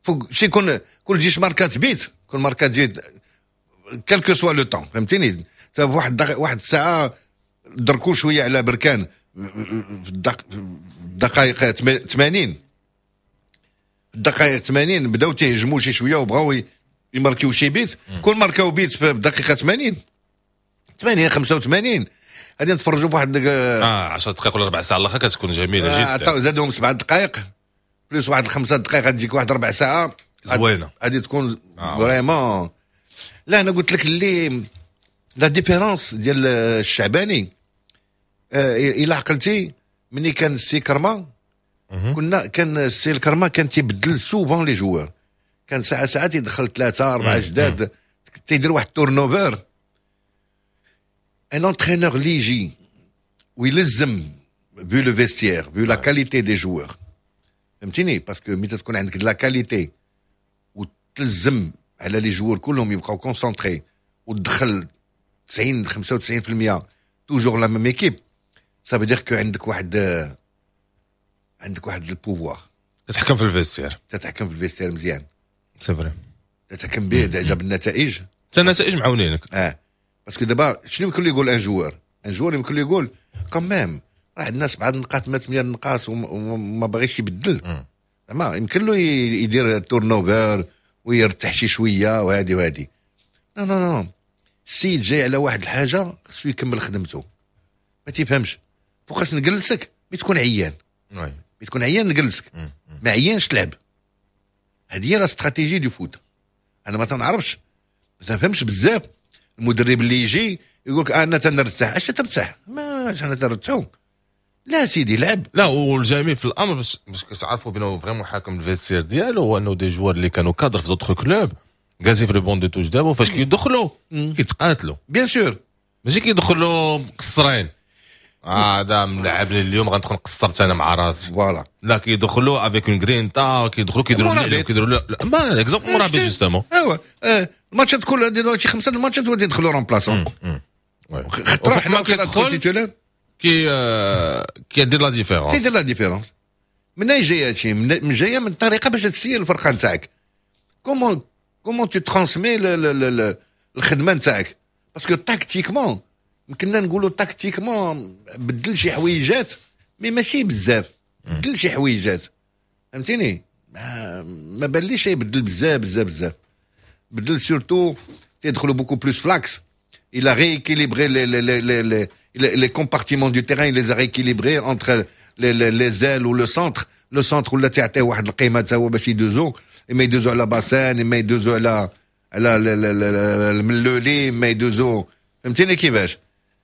فوق شي يكون كل جيش ماركات بيت، كل ماركات جيت quel que soit le temps، فهمتيني؟ واحد الساعة دركو شوية على بركان في الدقائق 80، الدقائق 80 بداو تيهجموا شي شوية وبغاو يماركيو شي بيت. كل ماركاو بيت في الدقيقة 80 80 85 غادي نتفرجوا بواحد 10 دقائق ولا ربع ساعة الاخر كتكون جميلة جدا. زادهم 7 دقائق plus واحد 5 دقائق غتجيك واحد ربع ساعة زوينة، غادي تكون vraiment. لا انا قلت لك اللي la différence ديال الشعباني، الى عقلتي ملي كان السي كرما، كنا كان السي الكرما كان تيبدل souvent les joueurs، كان ساعة ساعة تيدخل 3 4 جداد، تيدير واحد turnover. un entraîneur اللي يجي ويلزم vu le vestiaire، vu la qualité des joueurs، فهمتيني؟ parce que ملي تكون عندك la qualité وتلزم على les joueurs كلهم يبقاو concentrés وتدخل 90 95% toujours la même équipe، ça veut dire que عندك واحد ال pouvoir. تتحكم في ال vestiaire. تتحكم في ال vestiaire مزيان. c'est vrai. تتحكم به déjà بالنتائج. حتى النتائج معاونينك. اه parce que دابا شنو يمكن له يقول un joueur؟ un joueur يمكن له يقول quand même راه عندنا 7 نقاط ما 8 نقاط وما باغيش يبدل، زعما يمكن له يدير turnover ويرتاح شي شوية وهادي وهادي. non non non، السيد جاي على واحد الحاجه، خصو يكمل خدمته. ما تيفهمش فوقاش نجلسك؟ مي تكون عيان، مي تكون عيان نجلسك، ما عيانش تلعب. هذه هي la stratégie du foot. انا ما تنعرفش، ما تنفهمش بزاف المدرب اللي يجي يقول لك انا تنرتاح. اش ترتاح؟ ما انا تنرتاحو؟ لا سيدي، لعب. لا، والجميل في الامر باش كتعرفوا بانه vraiment حاكم ال vestiaire ديالو هو انه des joueurs اللي كانوا cadres في d'autres clubs جالسين في le banc de touche دابا، فاش كيدخلوا كيتقاتلوا. bien sûr. ماشي كيدخلوا مقصرين، هذا ملعبني اليوم غندخل قصرت انا مع راسي. voilà. لا، كيدخلوا avec une grinta، كيدخلوا كيديروا كيديروا ما exemple مرابط justement. ايوا الماتشات كل شي خمسة الماتشات ولات يدخلوا remplaçants. خطره حنا كيدخل titulaire كي كيدير la différence. كيدير la différence. من جاية هادشي؟ من جاية من الطريقة باش تسير الفرقة نتاعك، comment tu transmets الخدمة نتاعك، parce que tactiquement يمكننا نقولوا tactiquement بدل شي حويجات mais ماشي بزاف. بدل شي حويجات، فهمتيني؟ ما باليش يبدل بزاف بزاف بزاف. بدل surtout تيدخلوا beaucoup plus ف l'axe. il a rééquilibré les compartiments du terrain، il les a rééquilibrés entre les ailes ou le centre. le centre ولا تعطيه واحد القيمة تا هو باش يدوزو، اما يدوزو على باسان، اما يدوزو على الملولي، اما يدوزو، فهمتيني كيفاش؟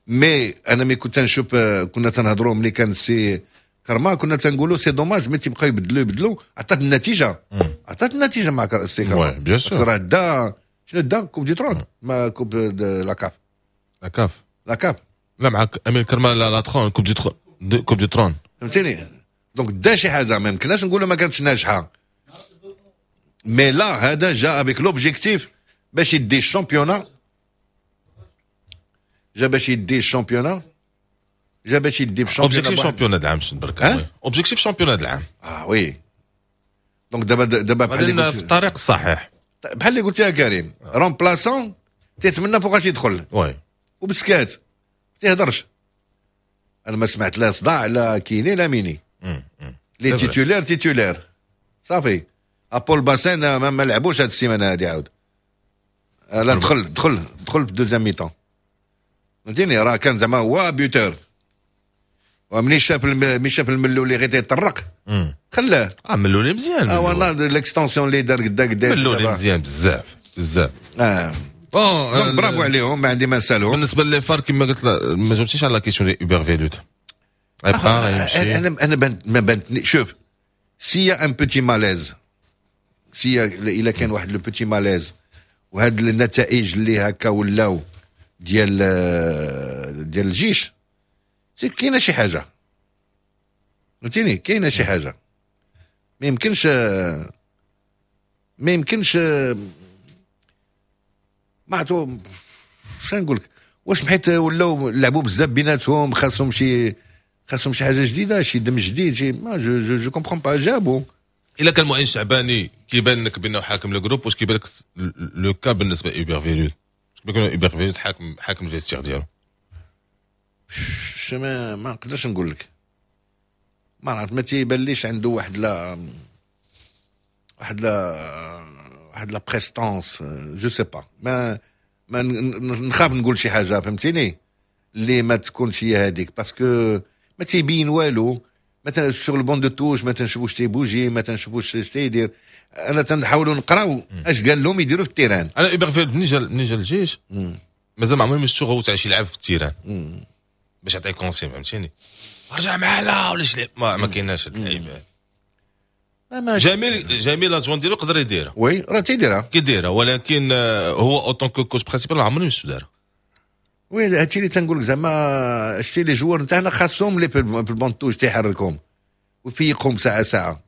mais انا مي كنت نشوف، كنا تنهضروا ملي كان السي كرما، كنا تنقولوا c'est dommage mais تيبقاو يبدلوا يبدلوا. عطات النتيجه، عطات النتيجة مع السي كرما. bien sûr. راه دا شنو؟ دا coupe du trône ما coupe la CAF. la CAF. la CAF. لا، معك امين كرما la trône، coupe du trône، coupe du trône. فهمتيني؟ donc دا شي حاجه، ما يمكنناش نقولوا ما كانتش ناجحه. mais là هذا جا avec l'objectif باش يدي ال championnat، جا باش يدي ال championnat، جا باش يدي ال championnat. objectif championnat العام برك، objectif championnat العام. اه oui، donc دابا بحال اللي في الطريق الصحيح. بحال اللي قلت يا كريم، remplaçant تيتمنى فوقاش يدخل وبسكات تيهضرش. انا ما سمعت لا صداع لا كيني لا ميني. les titulaires titulaires صافي. ابول باسين ما لعبوش هاد السيمانة هادي عاود. لا، دخل دخل دخل في deuxième mi-temps، فهمتيني؟ راه كان زعما هو buteur. ومني شاف ملي شاف الملولي غير تيطرق خلاه. ملولي مزيان. والله l'extension اللي دار قدا قدا ملولي مزيان بزاف بزاف. bon bravo عليهم، ما عندي ما نسالهم. بالنسبة les FAR كما قلت، ما جاوبتيش على question ديال هوبر فيلود، غيبقى غيمشي؟ انا ما بانتني. شوف، s'il y a un petit malaise، s'il y a الا كان واحد le petit malaise وهاد النتائج اللي هكا ولاو ديال الجيش، c'est كاينه شي حاجه، فهمتيني؟ كاينه شي حاجه، ما يمكنش. ما عرفتو شنو نقول لك، واش حيت ولاو لعبوا بزاف بيناتهم، خاصهم شي حاجة جديده، شي دم جديد، شي ما je comprends pas جابوا. الا كان معين شعباني كيبان لك بانه حاكم le groupe، واش كيبان لك le cas بالنسبة لاوبر فيلود؟ كيبان لك اوبر فيلود حاكم ال vestiaire ديالو؟ ما نقدرش نقول لك، ما عرفت، ما تيبانليش عنده واحد la prestance، je sais pas، ما نخاف نقول شي حاجه، فهمتيني، اللي ما تكونش هي هذيك، parce que ما تيبين والو. مثلا sur le banc de touche ما تنشوفوش تيبوجي، ما تنشوفوش اش تيدير. انا تنحاولوا نقراو اش قال لهم يديروا في ال terrain. انا هوبر فيلود ملي جا الجيش مازال ما عمري ما شفتو غوت على شي لعب في ال terrain باش يعطي consigne، فهمتيني، رجع معاه ولا شي، ما كايناش هاد اللعيبة. جميل جميل l'adjoint ديالو يقدر يديرها. oui، راه تيديرها. كيديرها، ولكن هو en tant que coach principal ما عمرني شفتو دارها. oui، هادشي اللي تنقول لك، زعما شتي les joueurs نتاعنا خاصهم لي في ال banc de touche تيحركهم ويفيقهم ساعة ساعه.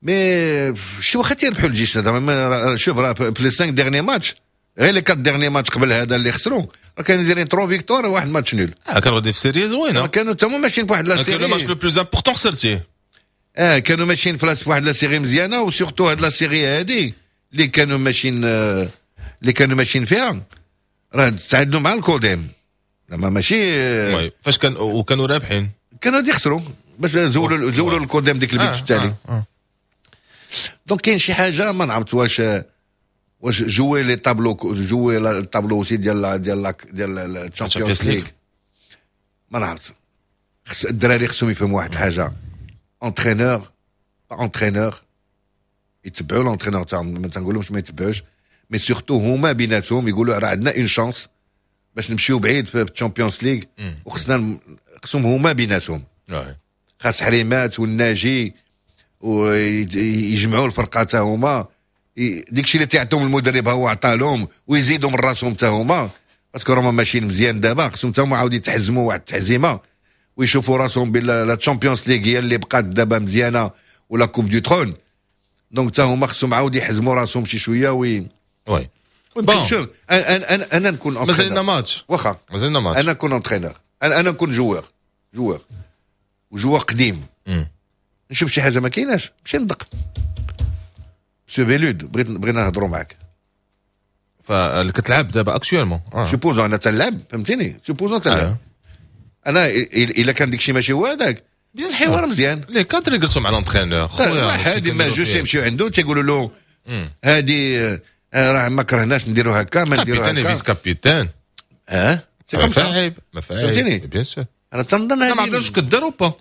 mais شي واخا تيربحوا الجيش زعما، شوف راه في les 5 derniers matchs، غير les 4 derniers matchs قبل هذا اللي خسروا، راه كانوا دايرين 3 victoires وواحد match nul. اه، كانوا غادي في série زوينه. كانوا تما ماشيين في واحد la série. le match le plus important خسرتيه. اه، كانوا ماشيين في واحد la série مزيانه، و surtout هاد la série هادي اللي كانوا ماشيين فيها، راه تعادلوا مع الكوديم، زعما ماشي oui، فاش كان وكانوا رابحين. كانوا يخسروا باش زولوا الكوديم ديك البيت التالي. Donc كاين شي حاجه، ما نعرفت واش jouer les tableaux، jouer ال tableau aussi ديال ال Champions League، ما نعرفت. الدراري خصهم يفهموا واحد الحاجه، entraîneur entraîneur يتبعوا l'entraîneur تاعهم، ما تنقولهمش ما يتبعوش، mais surtout هما بيناتهم يقولوا راه عندنا une chance باش نمشيو بعيد في ال Champions League، وخصنا خصهم هما بيناتهم، خاص حريمات والناجي ويجمعوا الفرقة تا هما، ديك الشيء اللي تيعطيهم المدرب هو عطا لهم ويزيدوا من راسهم تا هما، parce que راهم ماشيين مزيان دابا، خصهم تا هما عاود يتحزموا واحد التحزيمه ويشوفوا راسهم بلا la Champions League هي اللي بقات دابا مزيانه ولا Coupe du Trône. donc تا هما خصهم عاود يحزموا راسهم شي شوية وي oui. bon شوف، انا نكون مازال ماتش. واخا. مازال ماتش. انا نكون entraîneur، انا نكون joueur و joueur قديم، نشوف شي حاجة ما كايناش، مشي ندق: سو فيلود، بغينا نهضروا معاك. فاللي كتلعب دابا actuellement. supposons انا تنلعب، فهمتيني، supposons تنلعب انا، الا كان داكشي ماشي هو هذاك، الحوار مزيان. les cadres يجلسوا مع l'entraîneur خويا، واحد ما جوج تيمشيو عنده تيقولوا له هادي راه ما كرهناش نديروا هكا، ما نديروا هكا. vice-capitaine. اه. ما فاهم ما فاهم. فهمتيني؟ bien sûr. انا تنظن ما عرفناش واش كدار ou pas.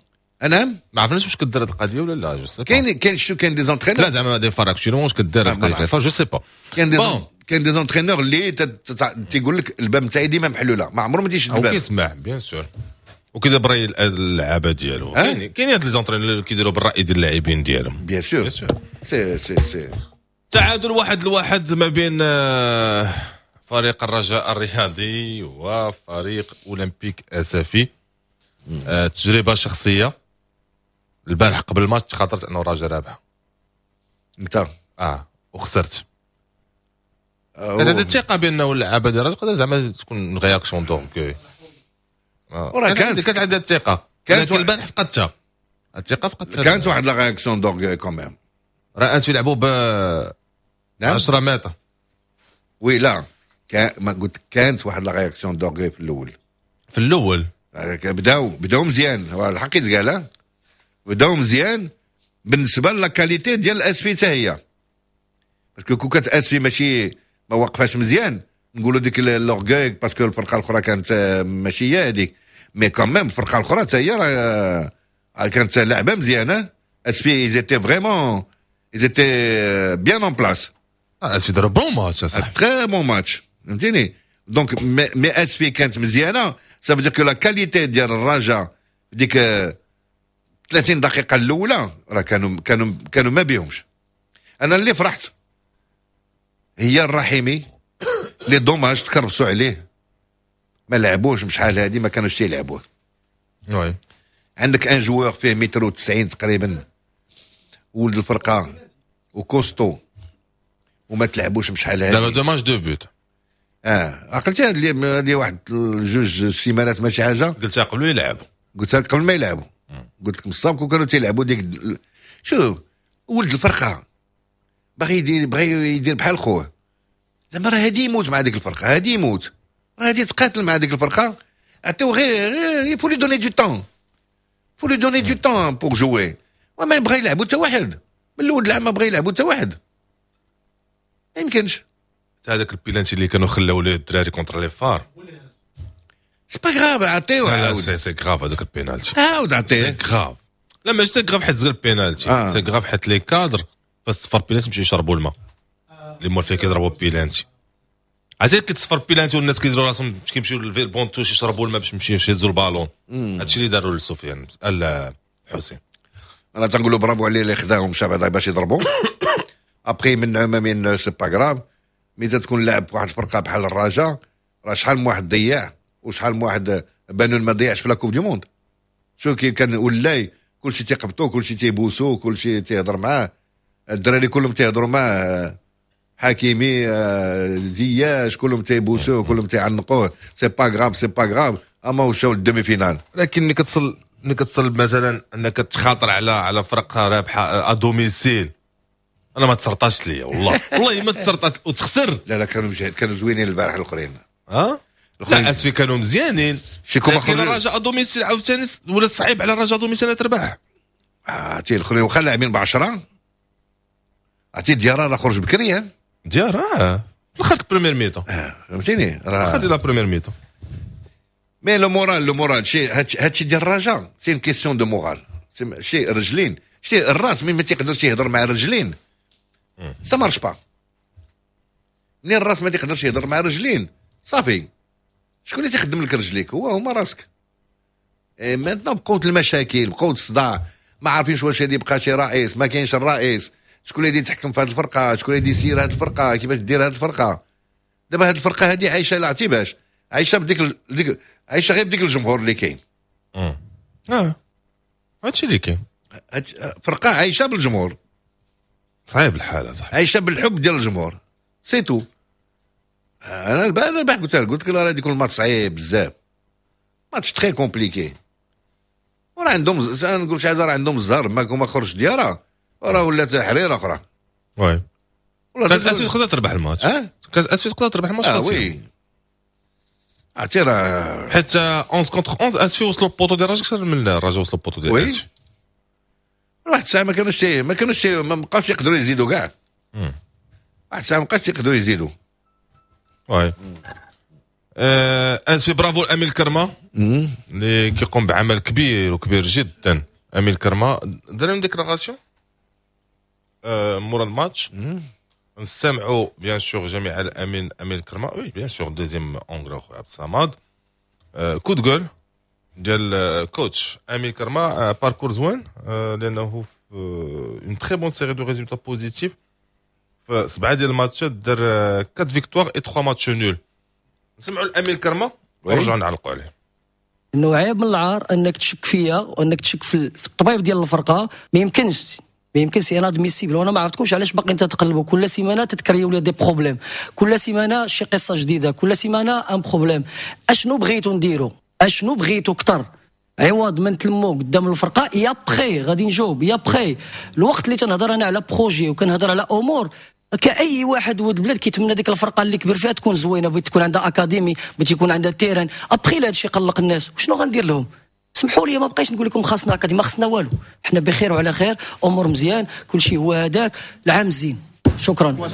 نعم. ما عرفناش واش كدار هذه القضية ولا لا، je sais. كاين شو كاين des entraîneurs. لا، زعما des FAR actuellement واش كدار القضية، je sais pas. كاين des entraîneurs اللي تيقول لك الباب نتاعي ديما محلوله، ما عمره ما تيشد الباب. كيسمع bien sûr وكيدير براي اللعابه ديالو. كاين هاد les entraîneurs اللي كيديروا بالراي ديال اللاعبين ديالهم. bien sûr، c'est c'est c'est تعادل 1-1 ما بين فريق الرجاء الرياضي وفريق اولمبيك اسفي. تجربه شخصيه، البارح قبل الماتش تخاطرت انه الرجاء رابح. انت؟ اه، وخسرت. كانت عندي الثقة بانه اللعابه ديال الرجاء تقدر زعما تكون réaction d'orgueil. وراه كانت عندي الثقه، كانت البارح فقدتها الثقه، فقدتها. كانت واحد la réaction d'orgueil quand même. راه يلعبوا ب 10 متر. oui، لا، ما قلت كانت واحد la réaction d'orgueil في الاول. في الاول. بداو مزيان، هو الحق يتقال، بداو مزيان بالنسبة la qualité ديال الاسفي حتى هي، parce que كون كانت اسفي ماشي ما وقفاش مزيان، نقولوا ديك l'orgueil parce que الفرقة الاخرى كانت ماشي هي هذيك. mais quand même الفرقة الاخرى حتى هي راه كانت لعبه مزيانه. اسفي ils étaient vraiment، ils étaient bien en place. اسفي داروا bon match صح. très bon match، فهمتيني؟ donc mais اسفي كانت مزيانه، ça veut dire que la qualité ديال الرجاء ديك 30 دقيقة الاولى راه كانوا ما بيهمش. انا اللي فرحت هي الرحيمي، les dommages تكربسوا عليه، ما لعبوش شحال هادي، ما كانوش تيلعبوه. عندك un joueur فيه متر و 90 تقريبا، ولد الفرقة و costaud، وما تلعبوش بشحال هادي. دابا deux matchs deux buts. عقلتي هذه واحد جوج سيمانات ماشي حاجه. قلتها قبل يلعبوا. قلتها قبل ما يلعبوا، قلت لك السابق وكانوا تيلعبوا ديك. شوف، ولد الفرقة باغي يدير بحال خوه، زعما راه هادي يموت مع ديك الفرقه، هادي يموت، راه هادي تقاتل مع ديك الفرقه. عطيو غير faut lui donner du temps، faut lui donner du temps pour jouer. وما بغى يلعبوا حتى واحد من الاول العام، ما بغى يلعبوا حتى واحد، ما يمكنش. هذاك البيلانتي اللي كانوا خلاو ليه الدراري contre les FAR. c'est pas grave، عطيو. لا، c'est grave هذاك البينالتي. عاود عطية. c'est grave. لا، ماشي c'est grave حيت زغل بينالتي، c'est grave حيت les cadres فاش تصفر بينالتي يمشيو يشربوا الماء، اللي مول فيه كيضربوا بيلانتي. عرفتي كتصفر بيلانتي والناس كيديروا راسهم كيمشيو لل banc de touche يشربوا الماء باش يمشيو يهزوا البالون. هادشي اللي داروا لسفيان الحسين. انا تنقولوا برافو عليه اللي خداهم مشى بعدا باش يضربوا. après من ما من c'est pas grave، mais تكون لاعب في واحد الفرقة بحال الرجاء، راه شحال من واحد ضيع وشحال من واحد بانون ما ضيعش في la Coupe du Monde. شو كي كان ولاي كلشي تيقبطو، كلشي تيبوسو، كلشي تيهضر معاه، الدراري كلهم تيهضروا معاه، حكيمي، زياش، كلهم تيبوسوه، كلهم تيعنقوه، c'est pas grave، c'est pas grave، اما وشاو ال demi-finale. لكن ملي كتصل مثلا انك تخاطر على فرقه رابحه à domicile، انا ما تسرطاش ليا، والله والله ما تسرطات وتخسر. لا لا، كانوا مجهد، كانوا زوينين البارح الاخرين. ها لا، اسفي كانوا مزيانين. شي لكن الرجاء à domicile عاوتاني ولا صعيب على الرجاء à domicile تربح. عرفتي الاخرين واخا لاعبين ب10، عرفتي ديارة راه خرج بكري. ديارة الاخر première mi-temps. فهمتيني؟ راه خدي la première mi-temps. mais le moral، le moral شي هادشي ديال الرجاء c'est une question de moral. شي رجلين، شي الراس من ما تيقدرش يهضر مع الرجلين، ça marche pas. منين الراس ما تيقدرش يهضر مع الرجلين، صافي. شكون اللي تيخدم لك رجليك؟ هو هما راسك. maintenant بقوة المشاكل، بقوة الصداع، ما عارفينش واش هادي بقى شي رئيس، ما كاينش الرئيس، شكون اللي يتحكم في هذه الفرقه، شكون اللي يسير هذه الفرقه، كيفاش دير هذه الفرقه. دابا هذه الفرقة هذه عايشه، لا عرفتي باش عايشه؟ بديك ديك عايشه غير بديك الجمهور اللي كاين. اه، هادشي اللي كاين. فرقه عايشه بالجمهور. صعيب الحالة صح. عايشه بالحب ديال الجمهور، c'est tout. انا البارح قلت لك راه يكون الماتش صعيب بزاف، match très compliqué. وراه عندهم، نقول شي حاجه، راه عندهم الزهر ما خرج ديارها، راه ولات حريره اخرى. oui، كاس اسفي تقدر تربح الماتش. اه. كاس اسفي تقدر تربح الماتش. اه oui، عرفتي راه حيت 11 contre 11 اسفي وصلوا poteau ديال الرجاء اكثر من الرجاء وصلوا poteau ديال اسفي. واحد الساعة ما كانوش ما بقاوش يقدروا يزيدوا كاع. واحد الساعة ما بقاوش يقدروا يزيدوا. oui، اسفي برافو الامين الكرمة اللي كيقوم بعمل كبير وكبير جدا. امين الكرمة دار déclaration مورا الماتش، نستمعوا bien sûr جميع الامين امين الكرمة. oui bien sûr، deuxième angle خويا عبد الصمد، coup de gueule ديال coach امين كرما. parcours زوين لانه في une très bonne série de résultats positifs، في سبعة ديال الماتشات دار 4 victoires et 3 matchs nuls. نسمعوا الامين كرما ونرجعوا نعلقوا عليه. انه عيب من العار انك تشك فيا وانك تشك في الطبيب ديال الفرقه. ما يمكنش، ما يمكنش، inadmissible. وانا ما عرفتكمش علاش باقيين تتقلبوا، كل سيمانه تتكريو لي des problèmes، كل سيمانه شي قصة جديده، كل سيمانه un problème. اشنو بغيتو نديرو؟ اشنو بغيتو اكثر؟ عوض ما نتلمو قدام الفرقة et après غادي نجاوب et après الوقت اللي تنهضر انا على projet وكنهضر على امور، كاي واحد ولد البلاد كيتمنى ديك الفرقة اللي كبر فيها تكون زوينه، بغيت تكون عندها académie، بغيت يكون عندها terrain. après هذا الشيء قلق الناس، وشنو غندير لهم؟ سمحوا لي، ما بقيتش نقول لكم خاصنا académie، ما خصنا والو. حنا بخير وعلى خير، امور مزيان، كل شيء هو هذاك، العام زين، شكرا.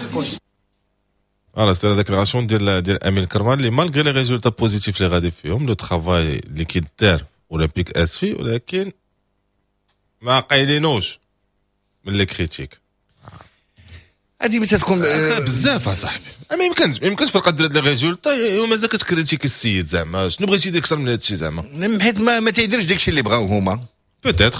voilà c'était la déclaration ديال امين كرمان اللي malgré les résultats positifs اللي غادي فيهم، le travail اللي كيدار اولمبيك اسفي، ولكن ما قايلينوش من les critiques. هذه متى تكون؟ بزاف اصاحبي، ما يمكنش فرقه دير les résultats ومازال كت critiquer السيد. زعما شنو بغيتي يدير اكثر من هذا الشيء زعما؟ حيت ما تيديرش داكشي اللي بغاو هما. peut-être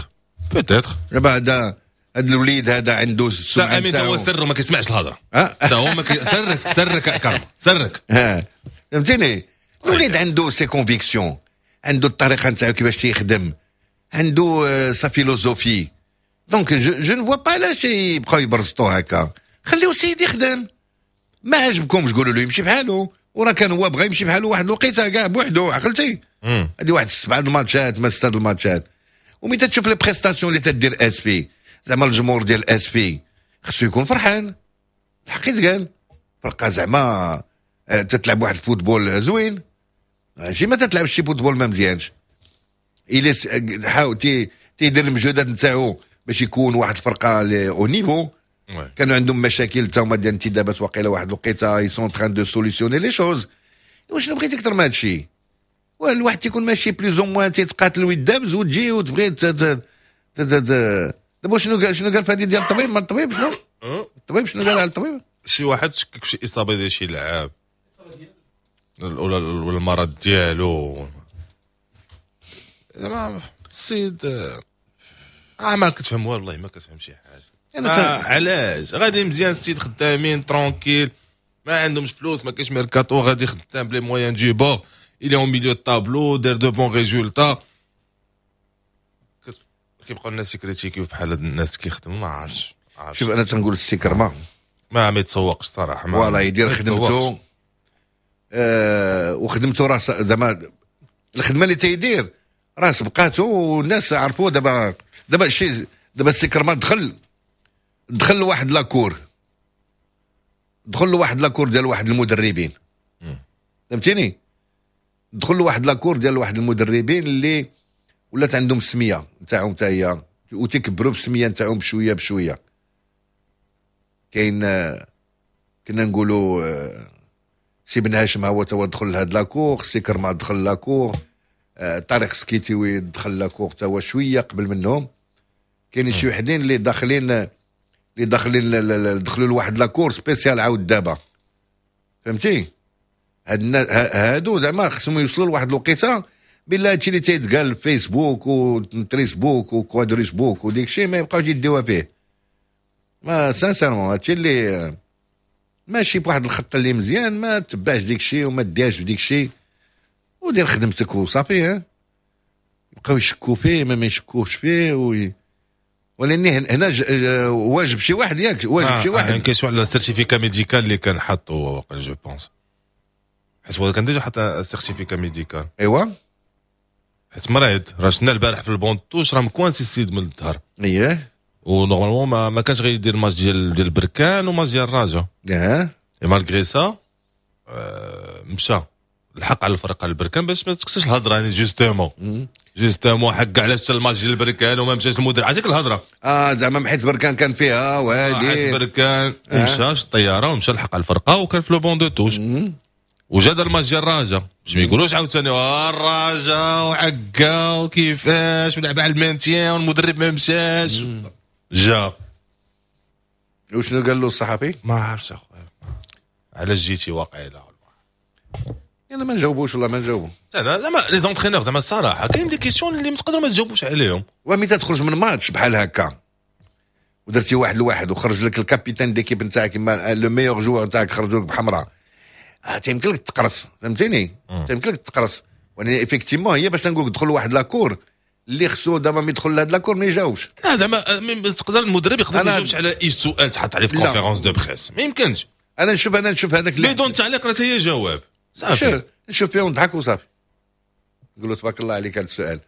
peut-être. دابا هذا الوليد هذا عنده السمعة. امين هو سر ما كيسمعش الهضره، هو ما سرك سرك كرم سرك. ها فهمتيني، الوليد عنده ses convictions، عنده الطريقة نتاعو كيفاش تيخدم، عنده sa philosophie، donc je ne vois pas علاش يبقاو يبرزطو هكا. خليو السيد يخدم، ما عجبكمش قولوا له يمشي بحالو. وراه كان هو بغى يمشي بحالو واحد الوقيته كاع بوحدو، عقلتي؟ هذه واحد السبعة الماتشات ما ستة الماتشات. وملي تشوف les prestations اللي تدير اسفي، زعما الجمهور ديال اسفي خصو يكون فرحان، الحق يتقال، فرقه زعما تتلعب واحد ال football زوين، ماشي ما تتلعبش شي football ما مزيانش. الى حاول تيدير المجهودات نتاعو باش يكون واحد الفرقة au niveau. كانوا عندهم مشاكل تا هما ديال الانتدابات وقيله واحد الوقيته، ils sont en train de solutionner les choses. واش بغيتي اكثر من هذا الشيء؟ الواحد تيكون ماشي plus ou moins تيتقاتل ويدابز وتجي وتبغي. دابا شنو قال في هذه ديال الطبيب؟ ما الطبيب شنو؟ الطبيب شنو قال على الطبيب؟ شي واحد شكك في شي اصابه ديال شي لعاب ولا المرض ديالو. زعما السيد ما كتفهم والله ما كتفهم شي حاجه. انا علاش غادي مزيان السيد، خدامين tranquille، ما عندهمش فلوس، ما كاينش ميركاتو، غادي خدام ب les moyens du bord، il est au milieu de tableau، دار de bons résultats. كيبقاو الناس ي critiquer و بحال هاد الناس كيخدموا، ما عرفتش. شوف، انا تنقول السي كرما ما يتسوقش صراحه. ما voilà، يدير خدمته وخدمته راه زعما الخدمة اللي تيدير راه سبقاتو والناس عرفوه. دابا شي دابا السي كرما دخل لواحد la cour، دخل لواحد la cour ديال واحد المدربين، فهمتيني؟ دخل لواحد la cour ديال واحد المدربين اللي ولات عندهم السمية نتاعهم حتى هي وتكبروا بالسميه نتاعهم بشوية بشويه. كاين كنا نقولوا سي بن هاشم هو توا دخل لهاد la cour، سي كرما دخل la cour، طارق سكيتيوي دخل la cour تا هو شوية قبل منهم. كاين شي وحدين اللي داخلين دخلوا لواحد la cour spéciale عاود دابا، فهمتي؟ هاد هادو زعما خصهم يوصلوا لواحد الوقيته بالله هادشي اللي تيتقال في فيسبوك وتريسبوك وكوادريسبوك وديك الشيء ما يبقاوش يديوها فيه. ما sincèrement هادشي اللي ماشي بواحد الخط اللي مزيان، ما تبعش ديك الشيء وما ديهاش بديك الشيء ودير خدمتك وصافي. ها يبقاو يشكوا فيه ما يشكوش فيه ولاني هنا واجب شي واحد، ياك؟ واجب شي واحد. question على certificat médical اللي كان حاطو هو je pense، حيت هو كان déjà حط certificat médical. ايوا. حيت مريض، راه شفنا البارح في ال banc de touche راه مكوانسي السيد من الظهر. و normalement ما كانش غيدير الماتش ديال بركان وماتش ديال الرجاء. Et malgré ça مشى الحق على الفرقة البركان باش ما تكسرش الهضره، يعني justement حق علاش الماتش ديال البركان وما مشاش المدرب، عرفتي الهضره. زعما حيت بركان كان فيها وهادي. حيت بركان ومشى الطيارة ومشى لحق على الفرقة وكان في le banc de touche وجا دار الماتش ديال الرجاء باش ما يقولوش عاوتاني الرجاء وعكا وكيفاش ولعب على ال maintien والمدرب ما مشاش جا. وشنو قال له الصحفي؟ ما عرفتش اخويا، علاش جيتي واقيلا. انا ما نجاوبوش والله ما نجاوبو. انا زعما les entraîneurs زعما الصراحة كاين des questions اللي ما تقدروا ما تجاوبوش عليهم. ومتى تخرج من ماتش بحال هكا ودرتي 1-1 وخرج لك ال capitaine d'équipe نتاعك كيما le meilleur joueur نتاعك خرجوا لك بحمراء، تيمكن لك تقرص، فهمتيني؟ تيمكن لك تقرص. وانا effectivement هي باش نقول لك دخل واحد la cour اللي خصو دابا ما يدخل لهاد la cour ما يجاوبش. لا زعما تقدر المدرب يقدر ما يجاوبش على اي سؤال تحط عليه في conférence de presse، ما يمكنش. انا نشوف هذاك اللي بدون تعليق راه هي جواب صافي. نشوف فيه ونضحك وصافي، نقول له تبارك الله عليك هذا السؤال،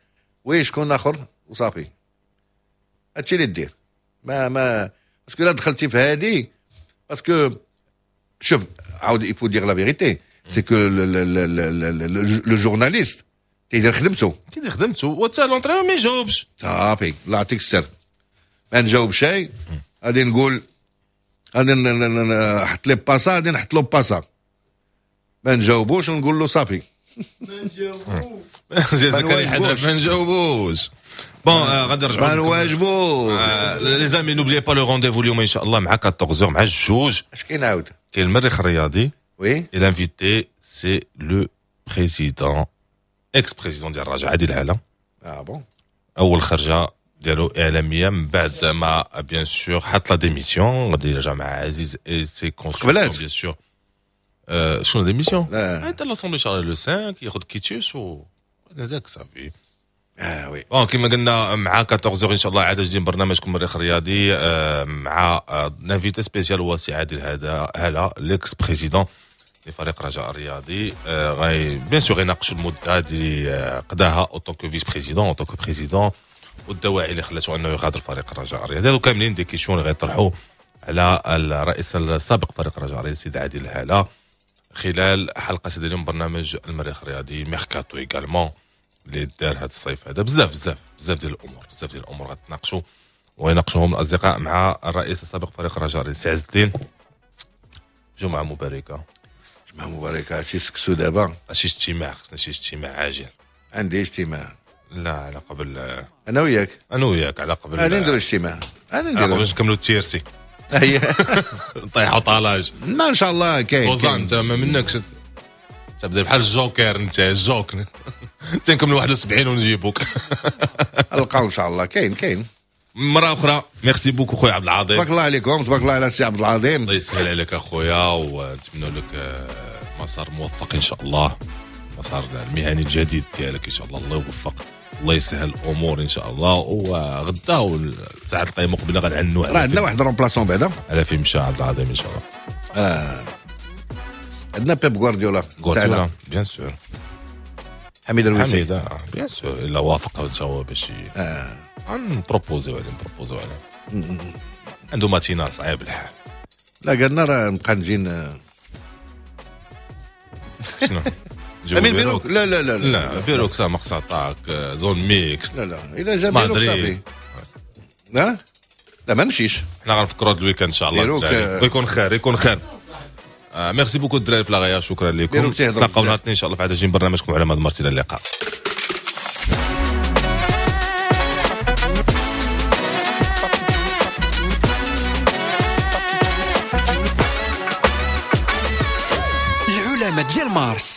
oui شكون اخر وصافي. هادشي اللي دير ما parce que الا دخلتي في هادي، parce que شوف عاود il faut dire la vérité، c'est que le journaliste تيدير خدمته. كيدير خدمته وتا l'entraîneur ما يجاوبش. صافي، الله يعطيك السر، ما نجاوب شيء. غادي نقول غادي نحط لي باسا، غادي نحط له باسا، ما نجاوبوش ونقول له صافي. ما نجاوبوش. bon غادي نرجعوا ما نواجبوش. les amis n'oubliez pas le rendez-vous اليوم ان شاء الله مع 14 مع الجوج. اش كاين عاود؟ كاين المريخ الرياضي. oui. Et l'invité c'est le président ex-président ديال الرجاء عادل هلا. اه bon. اول خرجه ديالو اعلامية من بعد ما bien sûr حط la démission، غادي يرجع مع عزيز et ses consultants bien sûr. شنو démission؟ حتى l'assemblée générale le 5 ياخذ quitus و هذاك صافي. اه oui. bon كما قلنا مع 14 ان شاء الله عاد جديد برنامجكم المريخ الرياضي مع l'invité spécial هو سي عادل هلا l'ex-président لفريق رجاء الرياضي. غاي bien sûr غيناقشوا المدة اللي قضاها en tant que vice-président en tant que président والدواعي اللي خلاتو انه يغادر فريق الرجاء الرياضي. هادو كاملين des questions اللي غيطرحوا على الرئيس السابق فريق الرجاء الرياضي السيد عادل هلا خلال حلقة سيد اليوم برنامج المريخ الرياضي. mercato également اللي دار هذا الصيف هذا، بزاف بزاف بزاف ديال الامور، بزاف ديال الامور غتناقشوا ويناقشوهم الاصدقاء مع الرئيس السابق فريق الرجاء الرياضي سي عز الدين. جمعه مباركة. جمعه مباركة. شي سكسو دابا، شي اجتماع، خصنا شي اجتماع عاجل. عندي اجتماع. لا على قبل انا وياك، انا وياك على قبل انا ندير اجتماع، انا ندير باش نكملوا ال tiercé. نطيحوا طالاج ما ان شاء الله. كاين وزان انت ما منكش تبدا بحال الجوكر، انت الجوك تنكملوا 71 ونجيبوك. نلقاو ان شاء الله. كاين كاين مرة اخرى. merci beaucoup خويا عبد العظيم، تبارك الله عليكم، تبارك الله على سي عبد العظيم. الله يسهل عليك اخويا ونتمنى لك مسار موفق ان شاء الله، مسار المهني الجديد ديالك ان شاء الله. الله يوفق، الله يسهل الامور ان شاء الله. وغدا والساعة القايمة مقبله غنعنوا راه عندنا واحد remplaçant بعدا على فين مشى عبد العظيم ان شاء الله. عندنا بيب غوارديولا، غوارديولا bien sûr، حميد الويسي، حميد bien sûr الا وافق حتى هو باش نبروبوزيو عليه، نبروبوزيو عليه. عنده matinale صعيب الحال. لا قالنا راه نبقى نجي شنو امين بيروك. لا لا لا لا بيروك سا مقصطاك zone mixte. لا لا الا جا بيروك صافي. لا لا ما نمشيش، حنا غنفكروا هذا ال week-end ان شاء الله. يكون خير، يكون خير. merci beaucoup الدراري في لاغايا، شكرا لكم. نتلاقاو نهار الاثنين ان شاء الله في عدد جديد من برنامجكم على مدى مارس. الى اللقاء. العلماء ديال مارس.